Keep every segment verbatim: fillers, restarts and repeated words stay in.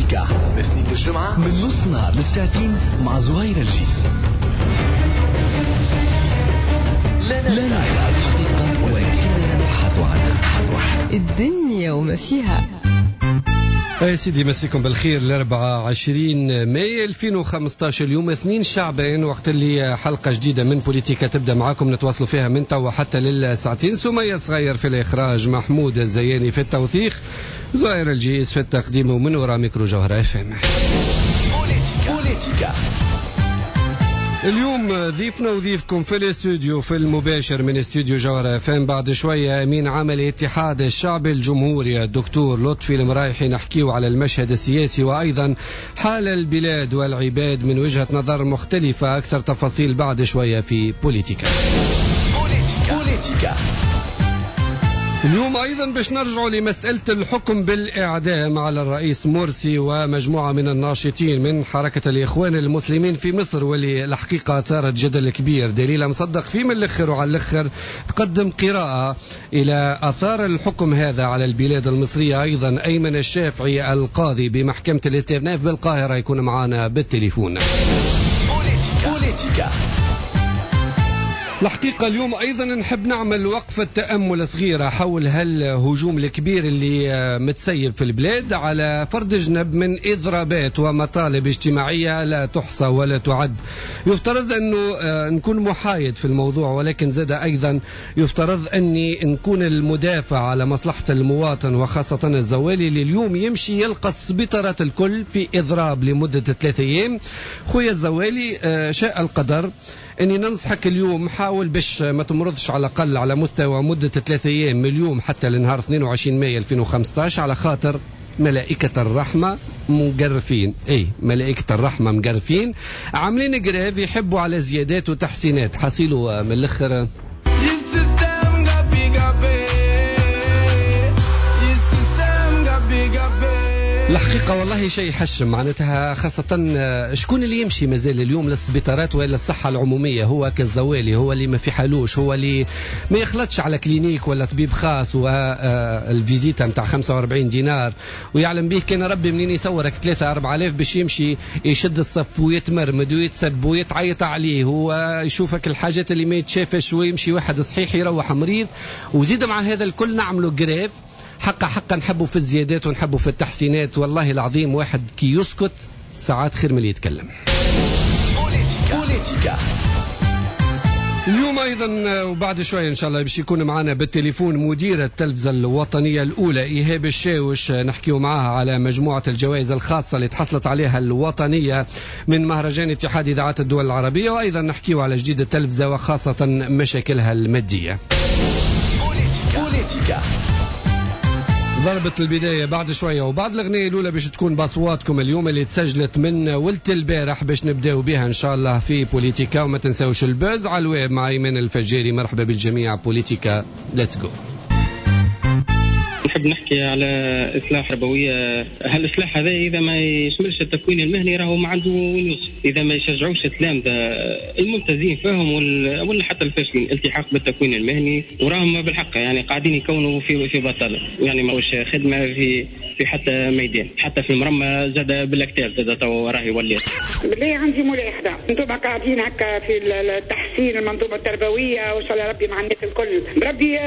بوليتيكا من اثنين للجمعة من نص نهار للساعتين مع زهير الجيس. لا ندع الحقيقة ولكننا نبحث عنها. الدنيا وما فيها. يا سيدي مسيكم بالخير. الأربعة عشرين ماي ألفين وخمسطاش، اليوم اثنين شعبان، وقت اللي حلقة جديدة من بوليتيكا تبدأ معاكم، نتواصلوا فيها من توا حتى للساعتين. سمية صغير في الإخراج، محمود الزياني في التوثيق، زهير الجيس في التقديم، ومن وراء ميكرو جوهرة اف ام. بوليتيكا. اليوم ضيفنا وضيفكم في الاستوديو في المباشر من استوديو جوهرة اف ام بعد شوية أمين عام الاتحاد الشعبي الجمهوري الدكتور لطفي المرايحي، نحكيو على المشهد السياسي وأيضا حال البلاد والعباد من وجهة نظر مختلفة. أكثر تفاصيل بعد شوية في بوليتيكا. بوليتيكا. اليوم أيضا باش نرجعوا لمسألة الحكم بالإعدام على الرئيس مرسي ومجموعة من الناشطين من حركة الإخوان المسلمين في مصر، واللي الحقيقة أثارت جدل كبير. دليل مصدق في من الأخر وعلى الأخر تقدم قراءة إلى أثار الحكم هذا على البلاد المصرية. أيضا أيمن الشافعي القاضي بمحكمة الاستئناف بالقاهرة يكون معنا بالتليفون. بوليتيكا. الحقيقة اليوم أيضا نحب نعمل وقفة تأمل صغيرة حول هالهجوم الكبير اللي متسيب في البلاد على فرد جنب من إضرابات ومطالب اجتماعية لا تحصى ولا تعد. يفترض أنه نكون محايد في الموضوع، ولكن زاد أيضا يفترض أني نكون المدافع على مصلحة المواطن وخاصة الزوالي اللي اليوم يمشي يلقى السبيطرات الكل في إضراب لمدة ثلاثة أيام. خويا الزوالي، شاء القدر أني ننصحك اليوم، حاول باش ما تمرضش على الأقل على مستوى مدة ثلاثة أيام من اليوم حتى لنهار اثنين وعشرين ماي ألفين وخمسطاش، على خاطر ملائكة الرحمة مقرفين. اي ملائكة الرحمة مقرفين، عاملين grève، يحبوا على زيادات وتحسينات. حصيلوا من الآخر. الحقيقة والله شيء يحشم، معناتها خاصة شكون اللي يمشي مازال اليوم للسبيطارات ولا الصحة العمومية؟ هو كالزوالي، هو اللي ما في حالوش، هو اللي ما يخلطش على clinique ولا طبيب خاص وال visite متاع خمسة وأربعين دينار، ويعلم به كان ربي منين يصورك ثلاثة أربعة آلاف باش يمشي يشد الصف ويتمرمد ويتسب ويتعيط عليه ويشوفك الحاجات اللي ما يتشافش، ويمشي واحد صحيح يروح مريض. وزيد مع هذا الكل نعملوا grève. حقا حقا نحبوا في الزيادات ونحبوا في التحسينات. والله العظيم واحد كي يسكت ساعات خير من اللي يتكلم. بوليتيكا. اليوم أيضا وبعد شوية إن شاء الله باش يكون معنا بالتليفون مدير التلفزة الوطنية الأولى إيهاب الشاوش، نحكيو معها على مجموعة الجوائز الخاصة اللي تحصلت عليها الوطنية من مهرجان اتحاد إذاعات الدول العربية، وأيضا نحكيو على جديد التلفزة وخاصة مشاكلها المادية. بوليتيكا. ضربة البداية بعد شوية وبعد الأغنية الأولى باش تكون بأصواتكم اليوم اللي تسجلت من ولت البارح باش نبداو بها إن شاء الله في بوليتيكا. وما تنساوش ال buzz على الويب مع إيمان الفجاري. مرحبا بالجميع. بوليتيكا let's go. نحب نحكي على إصلاح تربوية. هالإصلاح هذا إذا ما يشملش التكوين المهني راهو ما عنده وين يوصل. إذا ما يشجعوش التلامذة الممتازين فيهم ولا حتى الفاشلين الالتحاق بالتكوين المهني، وراهم بالحق يعني قاعدين يكونوا في في بطالة، يعني ماهوش خدمة في في حتى ميدان، حتى في المرمى زاد بالاكتاف زاد تو راهي ولات. بالله عندي ملاحظة، انتم قاعدين هكا في التحسين المنظومة التربوية وإن شاء الله ربي مع الناس الكل. ربي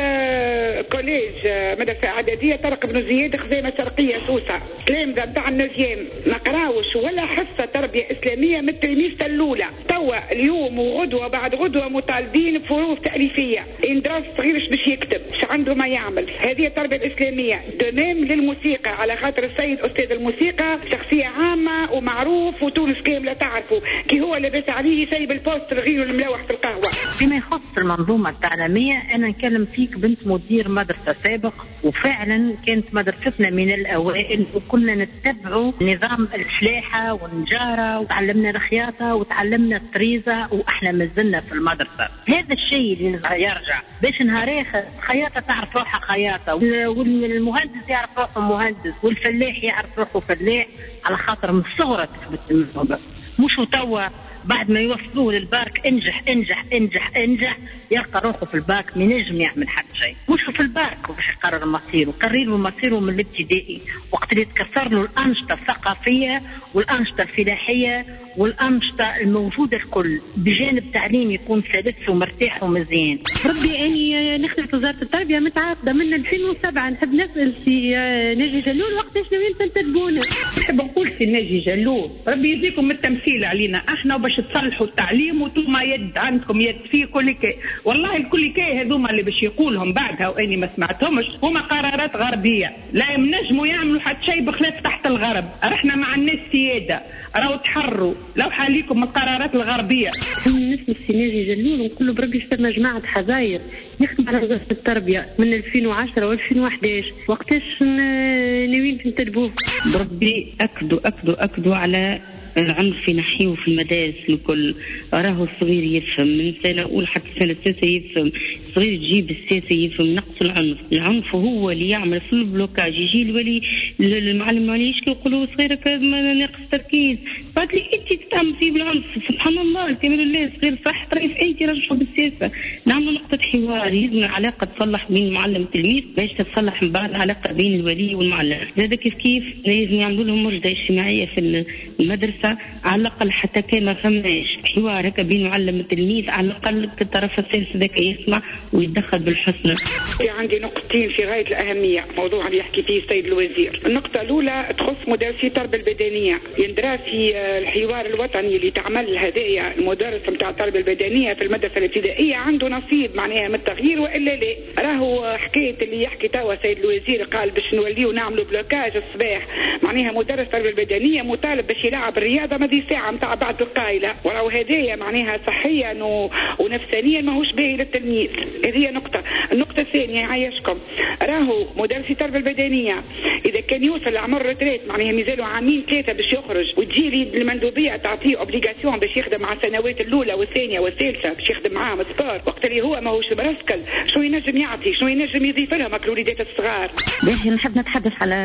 collège مدرسة إعدادية طارق بن زياد خزامة شرقية سوسة، تلامذة نتاع ال neuvième ما قراوش ولا حصة تربية إسلامية من ال trimestre الأولى. توا اليوم وغدوة بعد غدوة مطالبين بفروض تأليفية، إندراس صغير باش يكتب، اش عنده ما يعمل. هذه التربية الإسلامية. de même للموسيقى، على خاطر السيد أستاذ الموسيقى شخصية عامة ومعروف وتونس كاملة تعرفه، كي هو لاباس عليه يسيب ال poste لغيره الملوح في القهوة. فيما يخص المنظومة التعليمية، أنا نكلم فيك بنت مدير مدرسة سابق، وفعلا كانت مدرستنا من الأوائل وكنا نتبع نظام الفلاحة والنجارة، وتعلمنا الخياطة وتعلمنا الطريزة وإحنا مازلنا في المدرسة. هذا الشيء اللي يرجع باش نهار آخر خياطة تعرف روحها خياطة، والمهندس يعرف روحه مهندس، والفلاح يعرف روحه فلاح، على خاطر من الصغرى تثبت الموهبة. مش توا بعد ما يوصلوه للباك انجح انجح انجح انجح، يلقى روحه في الباك ما ينجم يعمل حتى شيء. مش في الباك باش يقرر مصيره، قرر له مصيره من الابتدائي وقت اللي تكسر له الأنشطة الثقافية والأنشطة الفلاحية والأنشطة الموجودة الكل، بجانب تعليم يكون سلس ومرتاح ومزيان. ربي أني نخدم في وزارة التربية متعاقدة من ألفين وسبعة، نحب نسأل سي ناجي جلول وقتاش ناويين تنتدبونا؟ نحب نقول سي ناجي جلول ربي يجزيكم التمثيل علينا احنا وباش تصلحوا التعليم وانتم يد عندكم يد فيه كل كي. والله الكل كي هذوما اللي باش يقولهم بعدها واني ما سمعتهمش هما قرارات غربية، لا ينجموا يعملوا حتى شيء بخلاف تحت الغرب. رحنا مع الناس سيادة، راهو تحروا لو حاليكم من القرارات الغربية. نسمع سي ناجي جلول ونقول له بربي ثم جماعة حزاير يخدم على وزارة التربية من ألفين وعشرة و ألفين وأحد عشر، وقتاش ناويين تنتدبوه؟ بربي اكدوا اكدوا اكدوا على العنف نحيوه في المدارس الكل. راهو الصغير يفهم من سنة أولى حتى سنة ثالثة يفهم، الصغير تجيب السياسة يفهم. نقص العنف، العنف هو اللي يعمل في ال blocage. يجي الولي المعلم ما يشكي يقولوا صغيرك ناقص تركيز، بعد لي انت تتعمل فيه بالعنف. سبحان الله الكمال لله، صغير صح طريف انت رجعوا بالسياسة. نعملوا نقطة حوار، لازم العلاقة تصلح بين المعلم والتلميذ باش تتصلح من بعد العلاقة بين الولي والمعلم. زاد كيف كيف لازم يعملوا لهم مرشده اجتماعية في المدرسة، على الاقل حتى كان ما فماش حوار هكا بين معلم والتلميذ، على الاقل الطرف الثالث ذاك يسمع ويتدخل بالحسنى. في عندي نقطتين في غاية الاهمية، موضوع اللي يحكي فيه السيد الوزير. النقطة الاولى تخص مدرسي التربية البدنية، يندرى في الحوار الوطني اللي تعمل هدايا المدرس نتاع التربية البدنية في المدرسة الابتدائية عنده نصيب معناها من التغيير والا لا؟ راهو حكاية اللي يحكي توا السيد الوزير قال باش نوليو نعملوا blocage الصباح، معناها مدرس التربية البدنية مطالب باش يلعب الرياضة ماذي ساعة نتاع بعد القايله، وراهو هدايا معناها صحيا و... ونفسانيا ماهوش باهي للتلميذ. هذه نقطة. النقطة الثانية يعيشكم، راهو مدرس التربية البدنية اذا كان يوصل لعمر retraite معناها مازالوا عامين ثلاثة باش يخرج، وتجي المندوبيه تعطيه obligation باش يخدم مع السنوات الاولى والثانية والثالثة باش يخدم معاهم sport، وقت اللي هو ماهوش مرسكل شنو ينجم يعطي؟ شنو ينجم يضيف لهم الوليدات الصغار؟ باهي نحب نتحدث على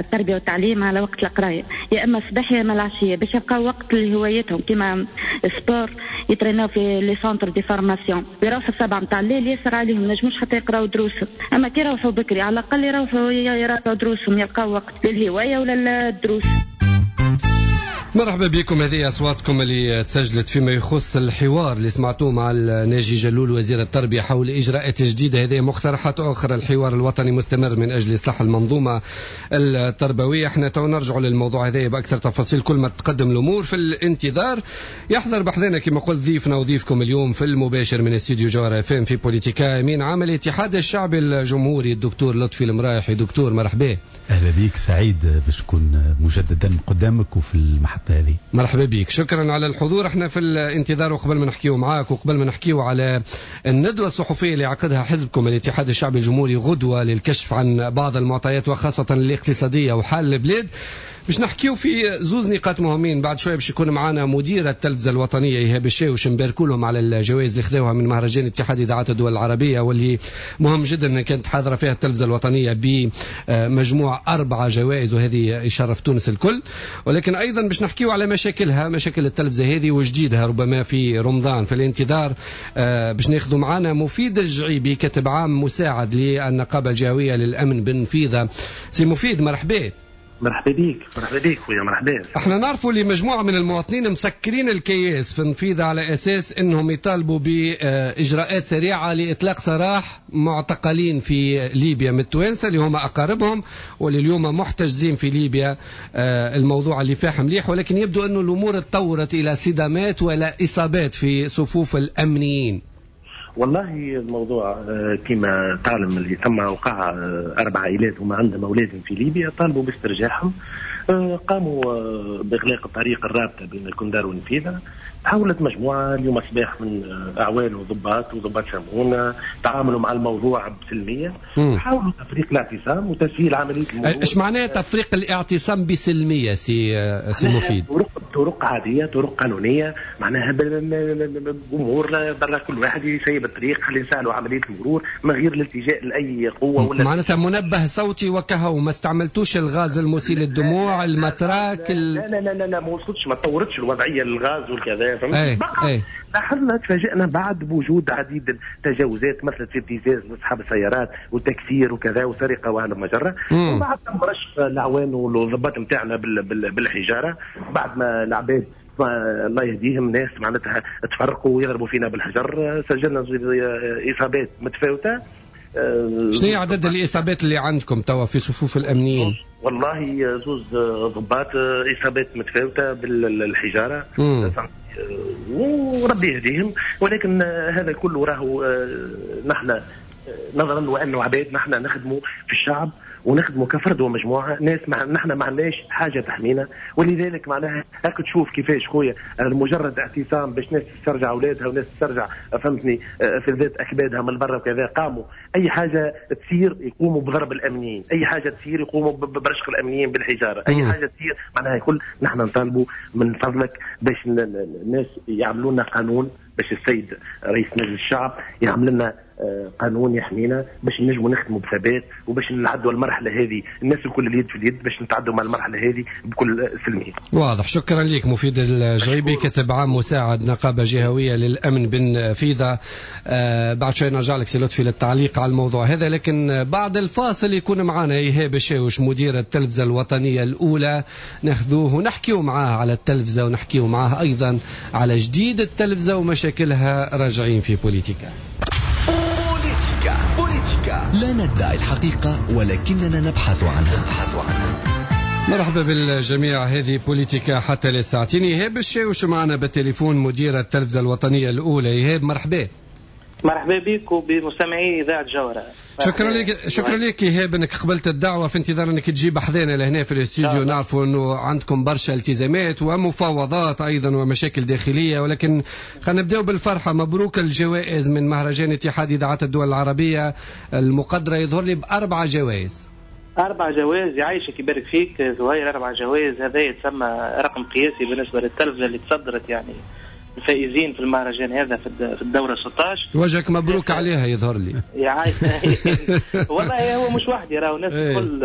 التربية والتعليم على وقت القراية، يا اما الصباح يا اما العشية باش يبقاو وقت لهوايتهم كيما sport، يتريناو في les centres de formation، يروحوا السبعة نتاع الليل ياسر عليهم ما نجموش حتى يقراو دروسهم، اما كي يروحوا بكري على الاقل يروحوا يراجعوا دروسهم، يلقاو وقت للهوايه ولا للدروس. مرحبا بكم، هذه أصواتكم اللي تسجلت فيما يخص الحوار اللي سمعتوه مع ناجي جلول وزير التربية حول إجراءات جديدة. هذه مقترحات أخرى. الحوار الوطني مستمر من أجل إصلاح المنظومة التربوية. احنا تو نرجع للموضوع هذا بأكثر تفاصيل كل ما تقدم الأمور. في الانتظار يحضر بحذنا كما قلت ضيفنا وضيفكم اليوم في المباشر من استوديو جوهرة اف ام في بوليتيكا أمين عام الاتحاد الشعبي الجمهوري الدكتور لطفي المرايحي. دكتور مرحبا. أهلا بك، سعيد باش نكون مجددا قدامك وفي المحطة هذه. مرحبا بك، شكرا على الحضور. احنا في الانتظار، وقبل ما نحكيو معاك وقبل ما نحكيو على الندوة الصحفية اللي عقدها حزبكم الاتحاد الشعبي الجمهوري غدوة للكشف عن بعض المعطيات وخاصة الاقتصادية وحال البلاد، باش نحكيو في زوز نقاط مهمين. بعد شوية باش يكون معنا مدير التلفزة الوطنية إيهاب الشاوش، نباركوا لهم على الجوائز اللي خذوها من مهرجان اتحاد إذاعات الدول العربية، واللي مهم جدا كانت حاضرة فيها التلفزة الوطنية بمجموع أربعة جوائز، وهذه يشرف تونس الكل. ولكن أيضا باش نحكيو على مشاكلها، مشاكل التلفزة هذه وجديدها ربما في رمضان. في الانتظار باش ناخذوا معنا مفيد الجعيبي، كاتب عام مساعد للنقابة الجهوية للأمن بالنفيضة. سي مفيد مرحبا. مرحبا بك. مرحبا بك خويا، مرحبا. احنا نعرفوا اللي مجموعة من المواطنين مسكرين الكياس في النفيضة على اساس انهم يطالبوا باجراءات سريعة لاطلاق سراح معتقلين في ليبيا من التوانسة اللي هما اقاربهم واللي اليوم محتجزين في ليبيا. الموضوع اللي فاح مليح، ولكن يبدو انه الامور تطورت الى صدامات ولا اصابات في صفوف الامنيين. والله الموضوع كما تعلم اللي ثم وقع أربع عائلات وما عندهم أولادهم في ليبيا، طالبوا باسترجاعهم، قاموا بإغلاق الطريق الرابطة بين الكندار والنفيذة. تحولت مجموعة اليوم الصباح من أعوان وضباط وضباط شمعون تعاملوا مع الموضوع بسلمية، حاولوا تفريق الاعتصام وتسهيل عملية الموضوع. ايش معناه تفريق الاعتصام بسلمية سي سي مفيد؟ رقبة طرق عادية، طرق قانونية، معناها بامور برا كل واحد يسيب الطريق، خلينا نسهلوا عملية المرور من غير الالتجاء لاي قوة ولا معناتها منبه صوتي وكهو، ما استعملتوش الغاز المسيل للدموع، المتراك ال... لا لا لا لا, لا ما وصلتش، ما تطورتش الوضعية للغاز والكذا، فهمت؟ لاحظنا تفاجئنا بعد بوجود عديد التجاوزات مثلت في ابتزاز لاصحاب السيارات وتكسير وكذا وسرقة وهلم جره، وبعد تم رشق الاعوان والضباط نتاعنا بالحجارة، بعد ما العباد الله يهديهم ناس معناتها تفرقوا ويضربوا فينا بالحجر، سجلنا اصابات متفاوتة. شنو هي عدد الاصابات اللي عندكم توا في صفوف الامنيين؟ والله زوز ضباط اصابات متفاوتة بالحجارة، وربي يهديهم، ولكن هذا كله راهو نحن نظرا وانه عباد نحن نخدموا في الشعب ونخدموا كفرد ومجموعة ناس، مع نحن ما عندناش حاجة تحمينا، ولذلك معناها هاك تشوف كيفاش خويا مجرد اعتصام باش ناس تسترجع اولادها وناس تسترجع فهمتني في ذات اكبادها من برا وكذا، قاموا اي حاجة تصير يقوموا بضرب الامنيين، اي حاجة تصير يقوموا برشق الامنيين بالحجارة، اي حاجة تصير معناها كل نحن نطالبوا من فضلك باش الناس يعملوا لنا قانون، باش السيد رئيس مجلس الشعب يعمل لنا قانون يحمينا باش نجموا نخدموا بثبات وباش نعدوا المرحلة هذه الناس الكل اليد في اليد باش نتعدوا مع المرحلة هذه بكل سلمية. واضح، شكرا لك مفيد الجعيبي، كاتب عام مساعد نقابة جهويه للامن بالنفيضه. آه بعد شوي نرجع لك سي لطفي للتعليق على الموضوع هذا، لكن بعد الفاصل يكون معنا ايهاب الشاوش مدير التلفزة الوطنية الاولى، ناخذوه ونحكيو معاه على التلفزة ونحكيو معاه ايضا على جديد التلفزة ومشاكلها. راجعين في بوليتيكا. بوليتيكا بوليتيكا لا ندعي الحقيقة ولكننا نبحث عنها. مرحبا بالجميع، هذه بوليتيكا حتى للساعتين. إيهاب الشاوش معنا بالتليفون مدير التلفزة الوطنية الأولى. إيهاب مرحبا. مرحبا بك وبمستمعي إذاعة جوهرة. شكرا لك، شكرا لك إيهاب انك قبلت الدعوة، في انتظار انك تجيب حذانا لهنا في الاستوديو. نعرفوا انه عندكم برشا التزامات ومفاوضات ايضا ومشاكل داخلية، ولكن خلينا نبداو بالفرحة. مبروك الجوائز من مهرجان اتحاد إذاعات الدول العربية المقدرة يظهر لي بأربع جوائز. أربع جوائز، يعيشك يبارك فيك زهير. أربع جوائز هذا يتسمى رقم قياسي بالنسبة للتلفزة اللي تصدرت يعني الفائزين في المهرجان هذا في الدورة ستة عشر. وجهك مبروك عليها يظهر لي. يا عايش والله هو مش وحدي، راهو الناس الكل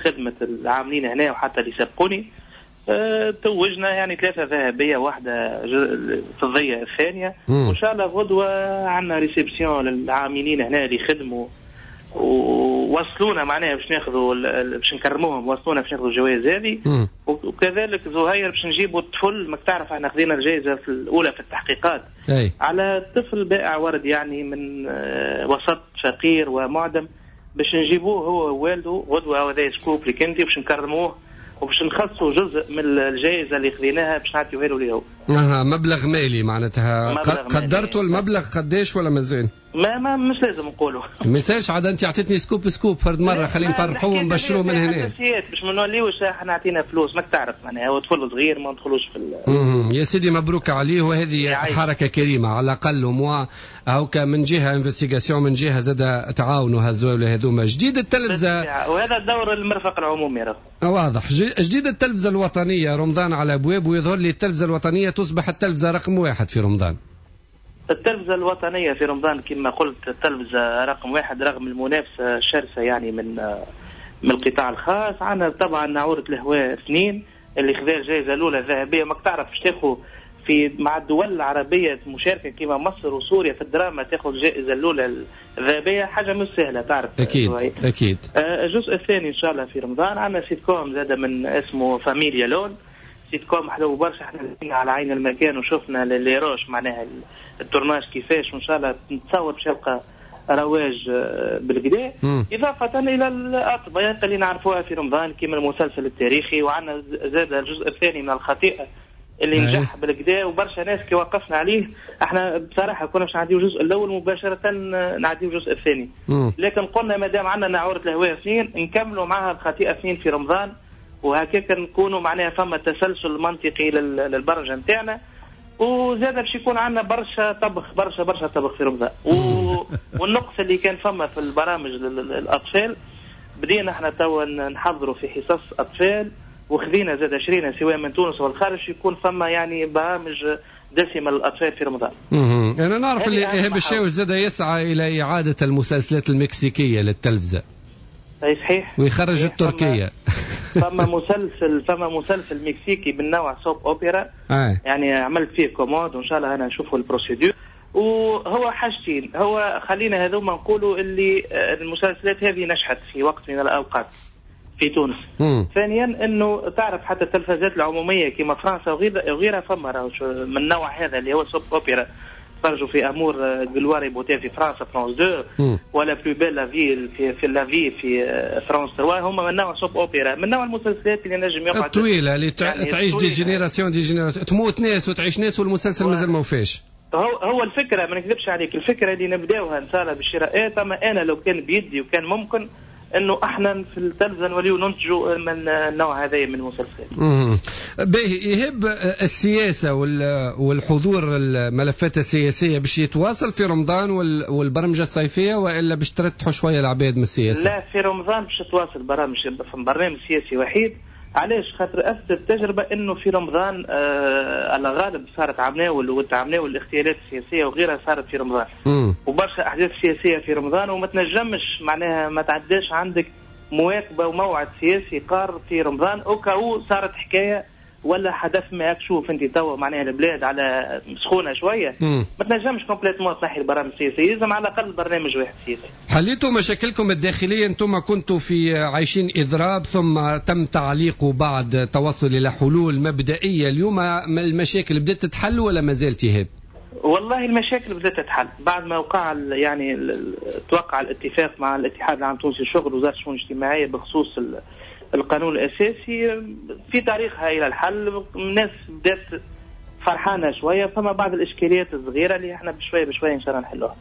خدمة العاملين هنا وحتى اللي سبقوني. توجنا يعني ثلاثة ذهبية واحدة فضية الثانية، وإن شاء الله غدوة عندنا réception للعاملين هنا اللي خدموا ووصلونا معناها باش ناخذوا باش نكرموهم، وصلونا باش ناخذوا الجوائز هذه. وكذلك زهير باش نجيبوا الطفل، ماك تعرف احنا خذينا الجائزة في الاولى في التحقيقات أي. على طفل بائع ورد يعني من وسط فقير ومعدم، باش نجيبوه هو ووالده غدوه، هذا scoop لك انت، باش نكرموه وباش نخصصوا جزء من الجائزة اللي خذيناها باش نعطيوها له اليوم. اها، مبلغ مالي معناتها. قدرتوا المبلغ قداش ولا مازال؟ ما ما مش لازم نقولوا. ما يسالش عاد، انت عطيتني scoop scoop فرد مرة، خلينا نفرحوه ونبشروه من هنا. باش ما نوليوش احنا عطينا فلوس، ماك تعرف معناها هو طفل صغير ما ندخلوش في ال... يا سيدي مبروك عليه، وهذه حركة كريمة على الاقل موا هاكا من جهة investigation، من جهة زاد تعاونوا هالزوايا هذوما. جديد التلفزة، وهذا الدور المرفق العمومي راه واضح. جديد التلفزة الوطنية رمضان على ابواب، ويظهر لي التلفزة الوطنية تصبح التلفزة رقم واحد في رمضان. التلفزة الوطنية في رمضان كما قلت التلفزة رقم واحد رغم المنافسة الشرسة يعني من من القطاع الخاص. عندنا طبعا ناعورة الهواء اثنين اللي خذا الجائزة الأولى الذهبية، ماك تعرف باش تاخذ في مع الدول العربية مشاركة كما مصر وسوريا في الدراما تاخذ الجائزة الأولى الذهبية، حاجة مش سهلة تعرف. أكيد أكيد. الجزء الثاني إن شاء الله في رمضان عندنا سيت كوم زاد من اسمه فاميليا لون، سيت كوم حلو برشا، احنا على عين المكان وشفنا les rushs معناها ال tournage كيفاش، وان شاء الله نتصور باش يلقى رواج بالكدا. اضافه الى الاطباق اللي نعرفوها في رمضان كيما المسلسل التاريخي، وعندنا زاد الجزء الثاني من الخطيئة اللي نجح بالكدا وبرشا ناس كي وقفنا عليه. احنا بصراحة كنا باش نعديو الجزء الاول مباشرة نعديو الجزء الثاني، لكن قلنا ما دام عندنا ناعورة الهواء اثنين نكملوا معها الخطيئة اثنين في رمضان، وهكاك نكونوا معناها فما تسلسل منطقي للبرمجه نتاعنا. وزاد باش يكون عندنا برشا طبخ، برشا برشا طبخ في رمضان. و... والنقص اللي كان فما في البرامج للاطفال بدينا احنا توا نحضروا في حصص اطفال وخذينا زاد شرينا سواء من تونس والخارج يكون فما يعني برامج دسمة للاطفال في رمضان. اها انا نعرف اللي ايهاب الشاوش زاد يسعى الى اعاده المسلسلات المكسيكيه للتلفزه. اي صحيح، ويخرج التركية. فما مسلسل فما مسلسل مكسيكي من نوع soap opera آه. يعني عملت فيه commande وان شاء الله انا نشوفوا ال procédure. وهو حاجتين، هو خلينا هذوما نقولوا اللي المسلسلات هذه نجحت في وقت من الاوقات في تونس. مم. ثانيا انه تعرف حتى التلفزات العمومية كما فرنسا وغيرها فما من النوع هذا اللي هو soap opera، تفرجوا في Amour gloire beauté في فرنسا فرانس اثنين، ولا Plus belle la vie في في la vie في فرانس ثلاثة، هما من نوع soap opera، من نوع المسلسلات اللي نجم يقعد الطويلة اللي يعني تعيش des générations des générations، تموت ناس وتعيش ناس والمسلسل مازال ما وفاش. هو هو الفكرة ما نكذبش عليك، الفكرة اللي نبداوها ان شاء الله بالشراءات، اما انا لو كان بيدي وكان ممكن انه احنا في التلفزة نوليو ننتجوا من النوع هذا من المسلسلات. باهي إيهاب، السياسة والحضور الملفات السياسية باش يتواصل في رمضان والبرمجة الصيفية، والا باش ترتحوا شوية العباد من السياسة؟ لا، في رمضان باش تتواصل برامج، برنامج سياسي وحيد. علاش؟ خاطر اثبتت التجربة انه في رمضان آه على غالب صارت عمناول والتعمناول الاغتيالات السياسية وغيرها صارت في رمضان. مم. وبرشا احداث سياسية في رمضان، وما تنجمش معناها ما تعداش عندك مواكبة وموعد سياسي قار في رمضان au cas où صارت حكاية ولا حدث ما تشوف انت توا معناها البلاد على سخونة شوية. مم. ما تنجمش complètement تنحي البرامج السياسية، لازم على الاقل برنامج واحد سياسي. حليتوا مشاكلكم الداخلية، انتم كنتوا في عايشين اضراب ثم تم تعليقه بعد توصل الى حلول مبدئية، اليوم المشاكل بدات تتحل ولا ما زالت إيهاب؟ والله المشاكل بدات تتحل بعد ما وقع يعني توقع الاتفاق مع الاتحاد العام التونسي للشغل ووزارة الشؤون الاجتماعية بخصوص القانون الأساسي في طريقها إلى الحل. الناس بدأت فرحانة شوية، فما بعض الإشكاليات الصغيرة اللي احنا بشوية بشوية إن شاء الله نحلوها.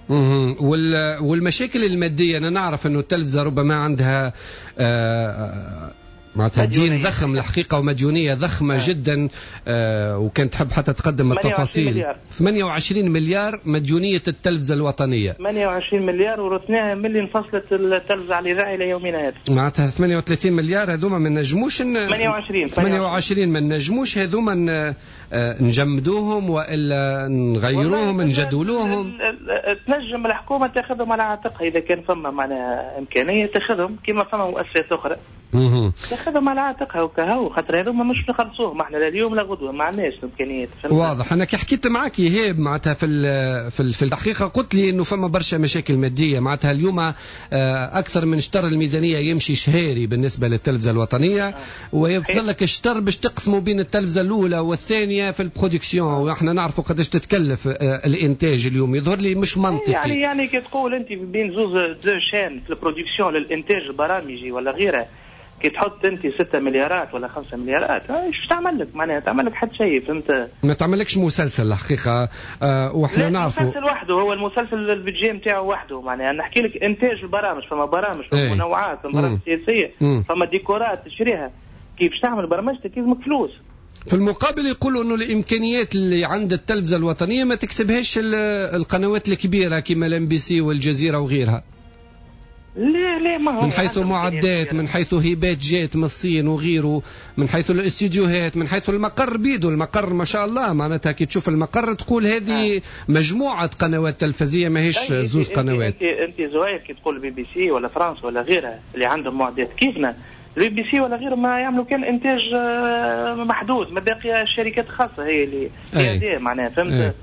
والمشاكل المادية، أنا نعرف أنه التلفزة ربما عندها آه معناتها دين ضخم الحقيقة ومديونية ضخمة آه. جدا، آه وكانت تحب حتى تقدم التفاصيل. ثمانية وعشرين مليار مديونية التلفزة الوطنية، ثمانية وعشرين مليار ورثناها من اللي انفصلت التلفزة على الإذاعة إلى يومنا هذا. معناتها ثمانية وثلاثين مليار هذوما ما نجموش ن... ثمانية وعشرين ثمانية وعشرين ما نجموش هذوما نجمدوهم وإلا نغيروهم نجدولوهم. تنجم الحكومة تاخذهم على عاتقها إذا كان فما معناها إمكانية تاخذهم كما فما مؤسسات أخرى تاخذهم على عاتقها وكهو، خاطر هذوما مش نخلصوهم احنا لا اليوم لا غدوه، ما عندناش الامكانيات. واضح. انا كي حكيت معك إيهاب معناتها في في في الحقيقة قلت لي انه فما برشا مشاكل مادية، معناتها اليوم اكثر من شطر الميزانية يمشي شهري بالنسبة للتلفزه الوطنية، ويفضل لك الشطر باش تقسموا بين التلفزة الاولى والثانية في ال production، واحنا نعرفوا قداش تتكلف الانتاج اليوم، يظهر لي مش منطقي. يعني يعني كي تقول انت بين زوز deux chaînes في ال production للانتاج البرامجي ولا غيره، كي تحط انت ستة مليارات ولا خمسة مليارات ايش تعمل لك؟ معناها تعمل لك حتى شيء، فهمت؟ ما تعملكش مسلسل الحقيقة. آه واحنا نعرفوا المسلسل وحده، هو المسلسل ال budget نتاعو وحده، معناها نحكي لك انتاج البرامج، فما برامج فما منوعات، فما برامج سياسية، فما ديكورات تشريها، كيف تعمل برمجتك لازمك فلوس. في المقابل يقولوا انه الامكانيات اللي عند التلفزة الوطنية ما تكسبهاش القنوات الكبيرة كما الام بي سي والجزيرة وغيرها. لا لا، ما هو من حيث معدات، من حيث هبات جات من الصين وغيره، من حيث الاستديوهات، من حيث المقر بيدو، المقر ما شاء الله معناتها كي تشوف المقر تقول هذه آه. مجموعة قنوات تلفزية ماهيش زوز قنوات. انت انت زهير كي تقول بي بي سي ولا فرنسا ولا غيرها اللي عندهم معدات كيفنا، البي بي سي ولا غيره ما يعملوا كان انتاج محدود، ما باقي الشركات الخاصة هي اللي هي معناها، فهمت؟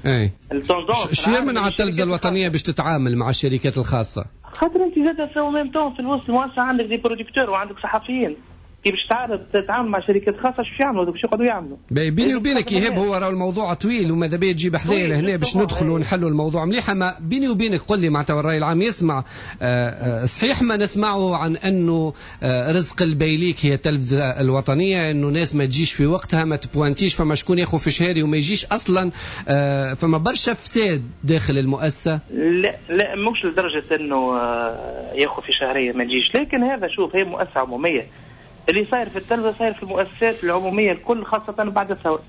ال tendance شو يمنع التلفزة الوطنية باش تتعامل مع الشركات الخاصة؟ خاطر انت زاد في même temps في الوسط المؤسسة عندك des producteurs وعندك صحفيين، كي باش تعرض تتعامل مع شركات خاصة شو يعملوا؟ باش يقعدوا يعملوا. بيني وبينك إيهاب هو راه الموضوع طويل وماذا بيا تجيب حذايا لهنا باش ندخلوا ونحلوا الموضوع مليح، اما بيني وبينك قل لي معناتها الراي العام يسمع آه صحيح ما نسمعه عن انه آه رزق البيليك هي التلفزة الوطنية، انه ناس ما تجيش في وقتها، ما تبوانتيش، فما شكون ياخذ في شهري وما يجيش اصلا، آه فما برشا فساد داخل المؤسسة. لا لا مش لدرجة انه ياخذ في شهرية ما تجيش، لكن هذا شوف هي مؤسسة عموميه، اللي صاير في التلفزة صاير في المؤسسات العمومية الكل خاصة بعد الثورة.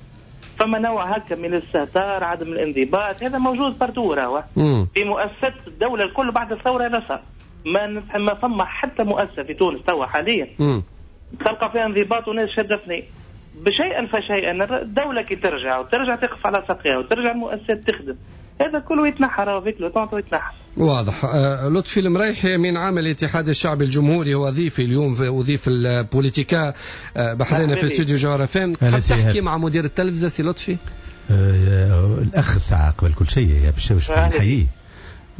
فما نوع هكا من الاستهتار، عدم الانضباط، هذا موجود partout راهو في مؤسسات الدولة الكل بعد الثورة هذا صار. ما ما فما حتى مؤسسة في تونس توا حاليا مم. تلقى فيها انضباط وناس شاده ثنيه. بشيئا فشيئا الدولة كي ترجع وترجع تقف على ساقيها وترجع المؤسسات تخدم، هذا كله يتنحى avec le temps يتنحى. واضح. آه لطفي المريحي امين عام الاتحاد الشعبي الجمهوري هو ضيفي اليوم في وضيف البوليتيكا آه بحذانا في استوديو جوهرة فام. تحكي مع مدير التلفزة سي لطفي؟ آه الاخ الساعة قبل كل شيء يا باش نحييه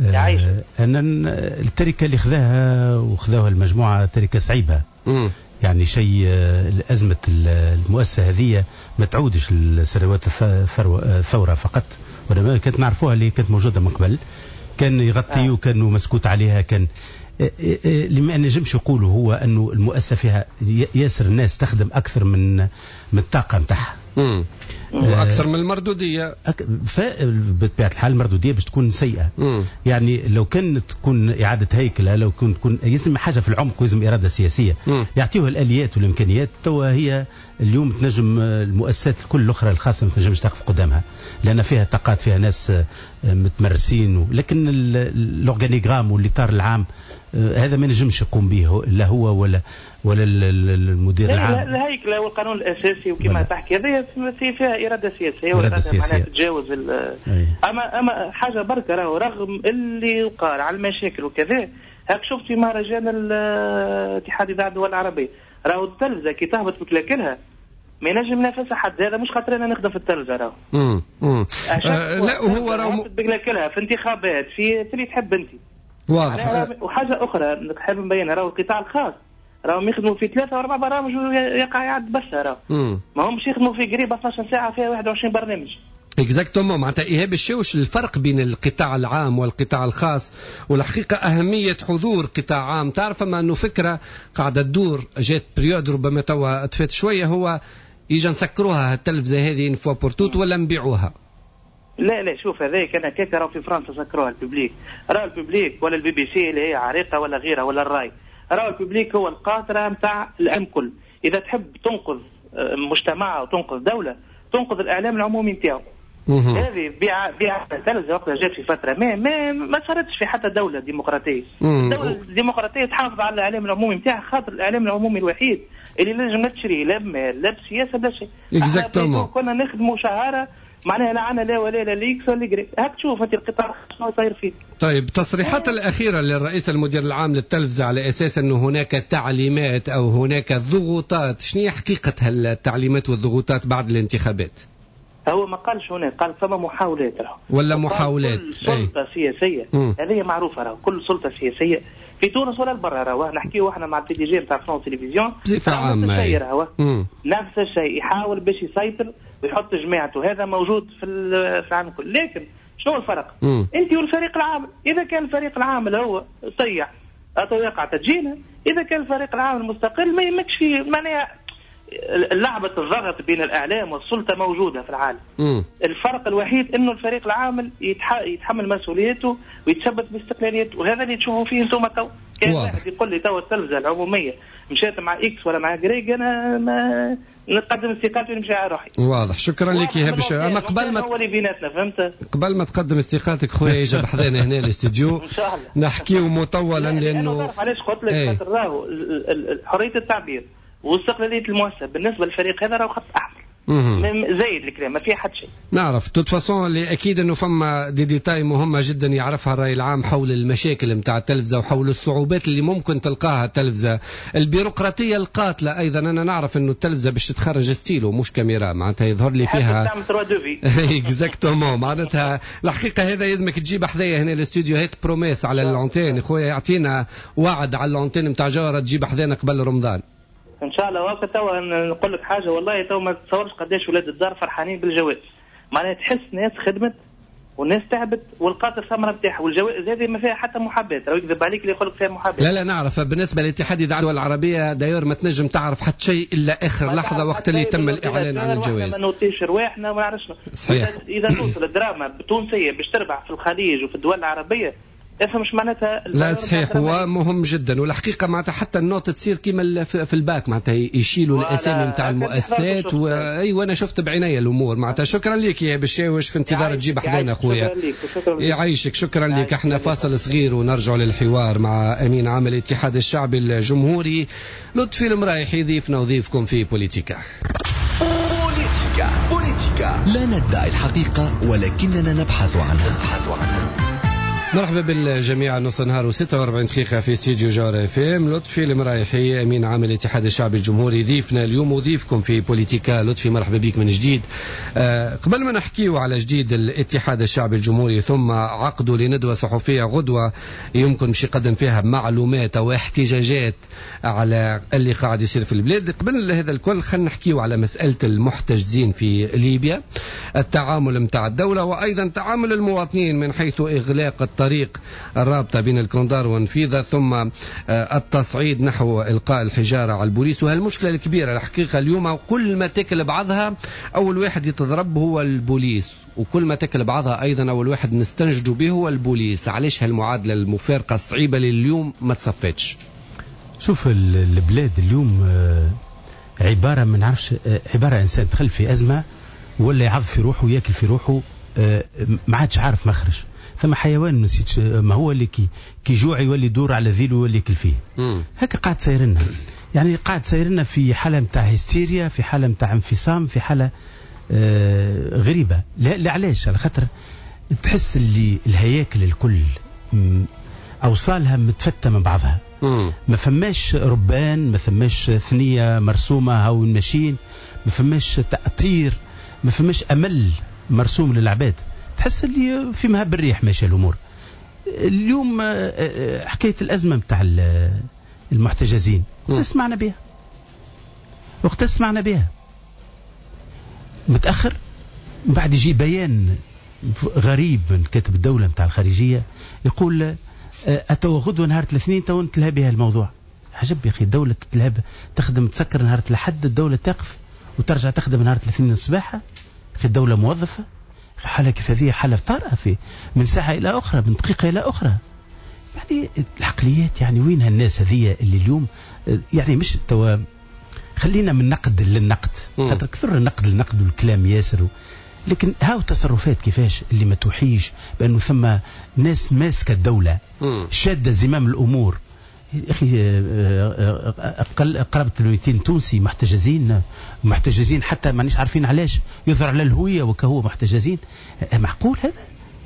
آه ان التركة اللي خذاها وخذاها المجموعة تركه صعيبة. مم. يعني شيء أزمة المؤسسة هذه ما تعودش لسنوات الثورة فقط، ولا كانت نعرفوها اللي كانت موجودة من قبل، كان يغطي وكانوا مسكوت عليها. كان اللي ما نجمش يقولوا هو أنه المؤسسة فيها ياسر الناس تخدم أكثر من من الطاقة نتاعها وأكثر من المردودية. أك... بطبيعة الحال المردودية باش تكون سيئة. مم. يعني لو كان تكون إعادة هيكلة، لو كان تكون يلزم حاجة في العمق ويلزم إرادة سياسية يعطيوها الآليات والإمكانيات. توا هي اليوم تنجم المؤسسات الكل الأخرى الخاصة ما تنجمش تقف قدامها، لأن فيها طاقات، فيها ناس متمرسين و... لكن ال organigramme والإطار العام هذا ما نجمش يقوم به لا هو ولا ولا المدير العام. الهيكله والقانون الاساسي وكما تحكي هذه فيها اراده سياسية واراده معناها تتجاوز اما اما حاجة بركة راهو رغم اللي يقال على المشاكل وكذا، هاك شفت في مهرجان الاتحاد اذاعة الدول العربية راهو التلفزة كي تهبط بكلاكلها ما ينجم ينافسها حد. هذا مش خاطر انا نخدم في التلفزة راهو. امم امم لا هو راهو بكلاكلها في انتخابات في اللي تحب انت. واضح. وحاجه اخرى نحب نبينها، راهو القطاع الخاص راهم يخدموا في ثلاثة واربع برامج ويقع يعد بس، راهو ما همش يخدموا في قريب اثنا عشر ساعة فيها واحد وعشرين برنامج. exactement. معناتها ايهاب الشاوش الفرق بين القطاع العام والقطاع الخاص، والحقيقة اهمية حضور قطاع عام. تعرف ما انه فكرة قاعدة تدور جات période ربما توا تفات شوية، هو يجي نسكروها التلفزة هذه une fois pour toutes ولا نبيعوها؟ لا لا شوف هذاك انا كيك راهو في فرنسا سكروها ال public، راهو ال public ولا البي بي سي اللي هي عريقة ولا غيرها ولا الراي، راهو ال public هو القاطره نتاع الام كل. اذا تحب تنقذ مجتمع وتنقذ دولة تنقذ الاعلام العمومي نتاعو. هذه بيع بيع التلفزة وقتها جات في فترة ما ما ما صارتش في حتى دولة ديمقراطية. الدولة الديمقراطية تحافظ على الاعلام العمومي نتاعها، خاطر الاعلام العمومي الوحيد اللي لازم لا تشري لا بمال لا بسياسة لا شيء. exactement. كنا نخدموا شهاره معناها لا عنا لا ولا لا ليكس ولا جري. هاك تشوف انت القطاع شنو صاير فيه. طيب تصريحات الاخيرة للرئيس المدير العام للتلفزه على اساس انه هناك تعليمات او هناك ضغوطات، شنو هي حقيقة هالتعليمات والضغوطات بعد الانتخابات؟ هو ما قالش هناك، قال فما محاولات راهو ولا محاولات. كل سلطة أي. سياسية هذه معروفة راهو، كل سلطة سياسية في تونس ولا البرا راهو نحكيو احنا مع ال PDG نتاع France Télévisions بصفة عامة راهو نفس الشيء، يحاول باش يسيطر ويحط جماعته، هذا موجود في في العالم كله. لكن شنو الفرق؟ مم. انت والفريق العامل، اذا كان الفريق العامل هو طيع يقع تدجينه، اذا كان الفريق العامل مستقل ما يهمكش فيه. معناها لعبة الضغط بين الإعلام والسلطة موجودة في العالم. مم. الفرق الوحيد إنه الفريق العامل يتح... يتحمل مسؤوليته ويتشبث باستقلاليته، وهذا اللي تشوفوا فيه انتم تو. كان واحد يقول لي تو التلفزة العمومية مشات مع X ولا مع Y، أنا ما نقدم استقالتي ونمشي على روحي. واضح. شكرا لك يا هبش. أما قبل ما هو اللي بيناتنا فهمت؟ قبل ما تقدم استقالتك خويا يجي بحذانا هنا الاستديو إن شاء الله نحكيو مطولا، لأنه تعرف علاش قلت لك؟ خاطر راهو حرية التعبير واستقلالية المؤسسة بالنسبة للفريق هذا راهو خط أحمر. زايد الكلام ما فيه حد شيء. نعرف toute façon اللي اكيد انه فما des détails مهمة جدا يعرفها الراي العام حول المشاكل نتاع التلفزة وحول الصعوبات اللي ممكن تلقاها التلفزة، البيروقراطية القاتلة ايضا. انا نعرف انه التلفزة باش تتخرج ستيلو مش كاميرا، معناتها يظهر لي فيها exactement. معناتها الحقيقة هذا يلزمك تجيب حذايا هنا الاستوديو، هات promesse على l'antenne خويا، يعطينا وعد على l'antenne نتاع جوهره تجيب حذانا قبل رمضان ان شاء الله. وقت توا نقول لك حاجة، والله توا ما تصورش قداش ولاد الدار فرحانين بالجوائز، معناها تحس ناس خدمت والناس تعبت ولقات الثمرة نتاعها، والجوائز هذه ما فيها حتى محاباة، راه يكذب عليك اللي يقول لك فيها محاباة. لا لا نعرف. بالنسبة لاتحاد الاذاعة الدول العربية d'ailleurs ما تنجم تعرف حتى شيء الا اخر لحظة وقت اللي تم الاعلان عن الجوائز. ما نوطيش رواحنا وما نعرفش. صحيح. اذا توصل الدراما التونسية باش تربح في الخليج وفي الدول العربية افهم مش معناتها. لا صحيح، هو مهم جدا، والحقيقة معناتها حتى ال note تصير كيما في الباك، معناتها يشيلوا الاسامي نتاع المؤسسات و... ايوه انا شفت بعيني الامور معناتها. شكرا لك يا بشاوش، في انتظار تجيب حدانا خويا. يعيشك، شكرا لك. احنا فاصل صغير ونرجع للحوار مع امين عام الاتحاد الشعبي الجمهوري لطفي المرايحي، ضيفنا وضيفكم في بوليتيكا. بوليتيكا بوليتيكا، لا ندعي الحقيقة ولكننا نبحث عنها. نبحث عنها. مرحبا بالجميع، نص نهار وستة وأربعين دقيقة في استديو جوهرة اف ام. لطفي المرايحي امين عام الاتحاد الشعبي الجمهوري ضيفنا اليوم وضيفكم في بوليتيكا. لطفي مرحبا بك من جديد. أه قبل ما نحكيو على جديد الاتحاد الشعبي الجمهوري ثم عقده لندوة صحفية غدوة يمكن باش يقدم فيها معلومات او احتجاجات على اللي قاعد يصير في البلاد، قبل هذا الكل خلينا نحكيو على مسألة المحتجزين في ليبيا، التعامل متاع الدولة وايضا تعامل المواطنين من حيث اغلاق الطريق طريق الرابطة بين الكوندار والنفيذة، ثم التصعيد نحو إلقاء الحجارة على البوليس. وهالمشكلة الكبيرة الحقيقة اليوم كل ما تاكل بعضها أول واحد يتضرب هو البوليس، وكل ما تاكل بعضها أيضا أول واحد نستنجد به هو البوليس. علاش هالمعادلة المفارقة الصعيبة لليوم ما تصفتش؟ شوف البلاد اليوم عبارة ما نعرفش، عبارة إنسان دخل في أزمة ولا يعض في روحه وياكل في روحه، ما عادش عارف مخرج. ثم حيوان نسيت ما هو اللي كي كي جوع يولي يدور على ذيله ويولي ياكل فيه. هكا قاعد ساير لنا، يعني قاعد ساير لنا في حاله نتاع هستيريا، في حاله نتاع انفصام، في حاله آه غريبة. لا, لا علاش؟ على خاطر تحس اللي الهياكل الكل اوصالها متفته من بعضها. مم. ما فماش ربان، ما فماش ثنيه مرسومه هاو ماشيين، ما فماش تأطير، ما فماش امل مرسوم للعباد. تحس اللي في مهب الريح ماشية الامور. اليوم حكاية الازمة نتاع المحتجزين سمعنا بها، وقت سمعنا بها متاخر، من بعد يجي بيان غريب من كاتب الدولة نتاع الخارجية يقول اتوا غدوه نهار الاثنين تو نتلهى بها الموضوع. عجب يا اخي، الدولة تتلهى تخدم تسكر نهار الاحد، الدولة تقف وترجع تخدم نهار الاثنين الصباح. اخي الدولة موظفة، حالة كيف هذه حالة طارئة في من ساعة إلى أخرى، من دقيقة إلى أخرى. يعني العقليات، يعني وين هالناس هذه اللي اليوم يعني مش توا، خلينا من نقد للنقد، خاطر كثر النقد للنقد والكلام ياسر و... لكن هاو تصرفات كيفاش اللي ما توحيش بأنه ثم ناس ماسكة الدولة شادة زمام الأمور. يا أخي أقل قرابة مئتين تونسي محتجزين، محتجزين حتى مانيش عارفين علاش، يظهر على الهوية وكهو محتجزين. معقول هذا؟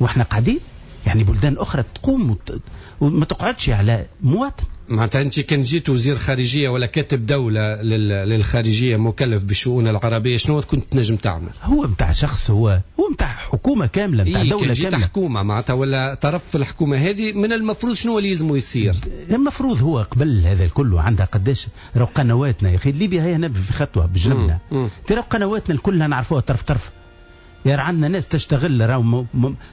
واحنا قاعدين يعني بلدان أخرى تقوم وت... وما تقعدش على مواطن. معناتها أنت كان جيت وزير خارجية ولا كاتب دولة للخارجية مكلف بالشؤون العربية، شنو كنت تنجم تعمل؟ هو متاع شخص، هو هو متاع حكومة كاملة، متاع إيه دولة كاملة. حكومة معناتها ولا طرف في الحكومة هذه، من المفروض شنو اللي يلزمه يصير؟ المفروض هو قبل هذا الكل عندها قداش راهو قنواتنا يا أخي. ليبيا هي هنا في خطوة بجنبنا، ترى قنواتنا الكلها نعرفوها طرف طرف. يا عندنا ناس تشتغل، راهو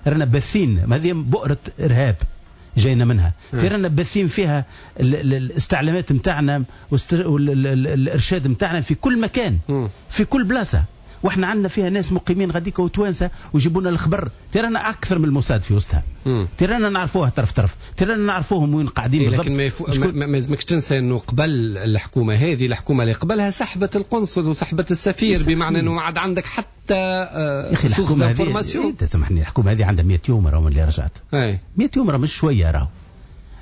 رانا باثين، هذه بؤرة إرهاب جاينا منها، ترانا باثين فيها الاستعلامات نتاعنا والارشاد نتاعنا في كل مكان، في كل بلاصة، واحنا عندنا فيها ناس مقيمين غاديك وتوانسه ويجيبوا لنا الخبر. ترانا اكثر من الموساد في وسطها، ترانا نعرفوها طرف طرف، ترانا نعرفوهم وين قاعدين إيه بالضبط. لكن ما, يفو... ما, ما لازمكش تنسى انه قبل الحكومة هذه، الحكومة اللي قبلها سحبت القنصل وسحبت السفير، بمعنى انه ما عاد عندك حتى آه يا اخي الحكومة هذه، انت سامحني، الحكومة هذه عندها مئة يوم راهو اللي رجعت. أي. مئة يوم راه مش شوية، راهو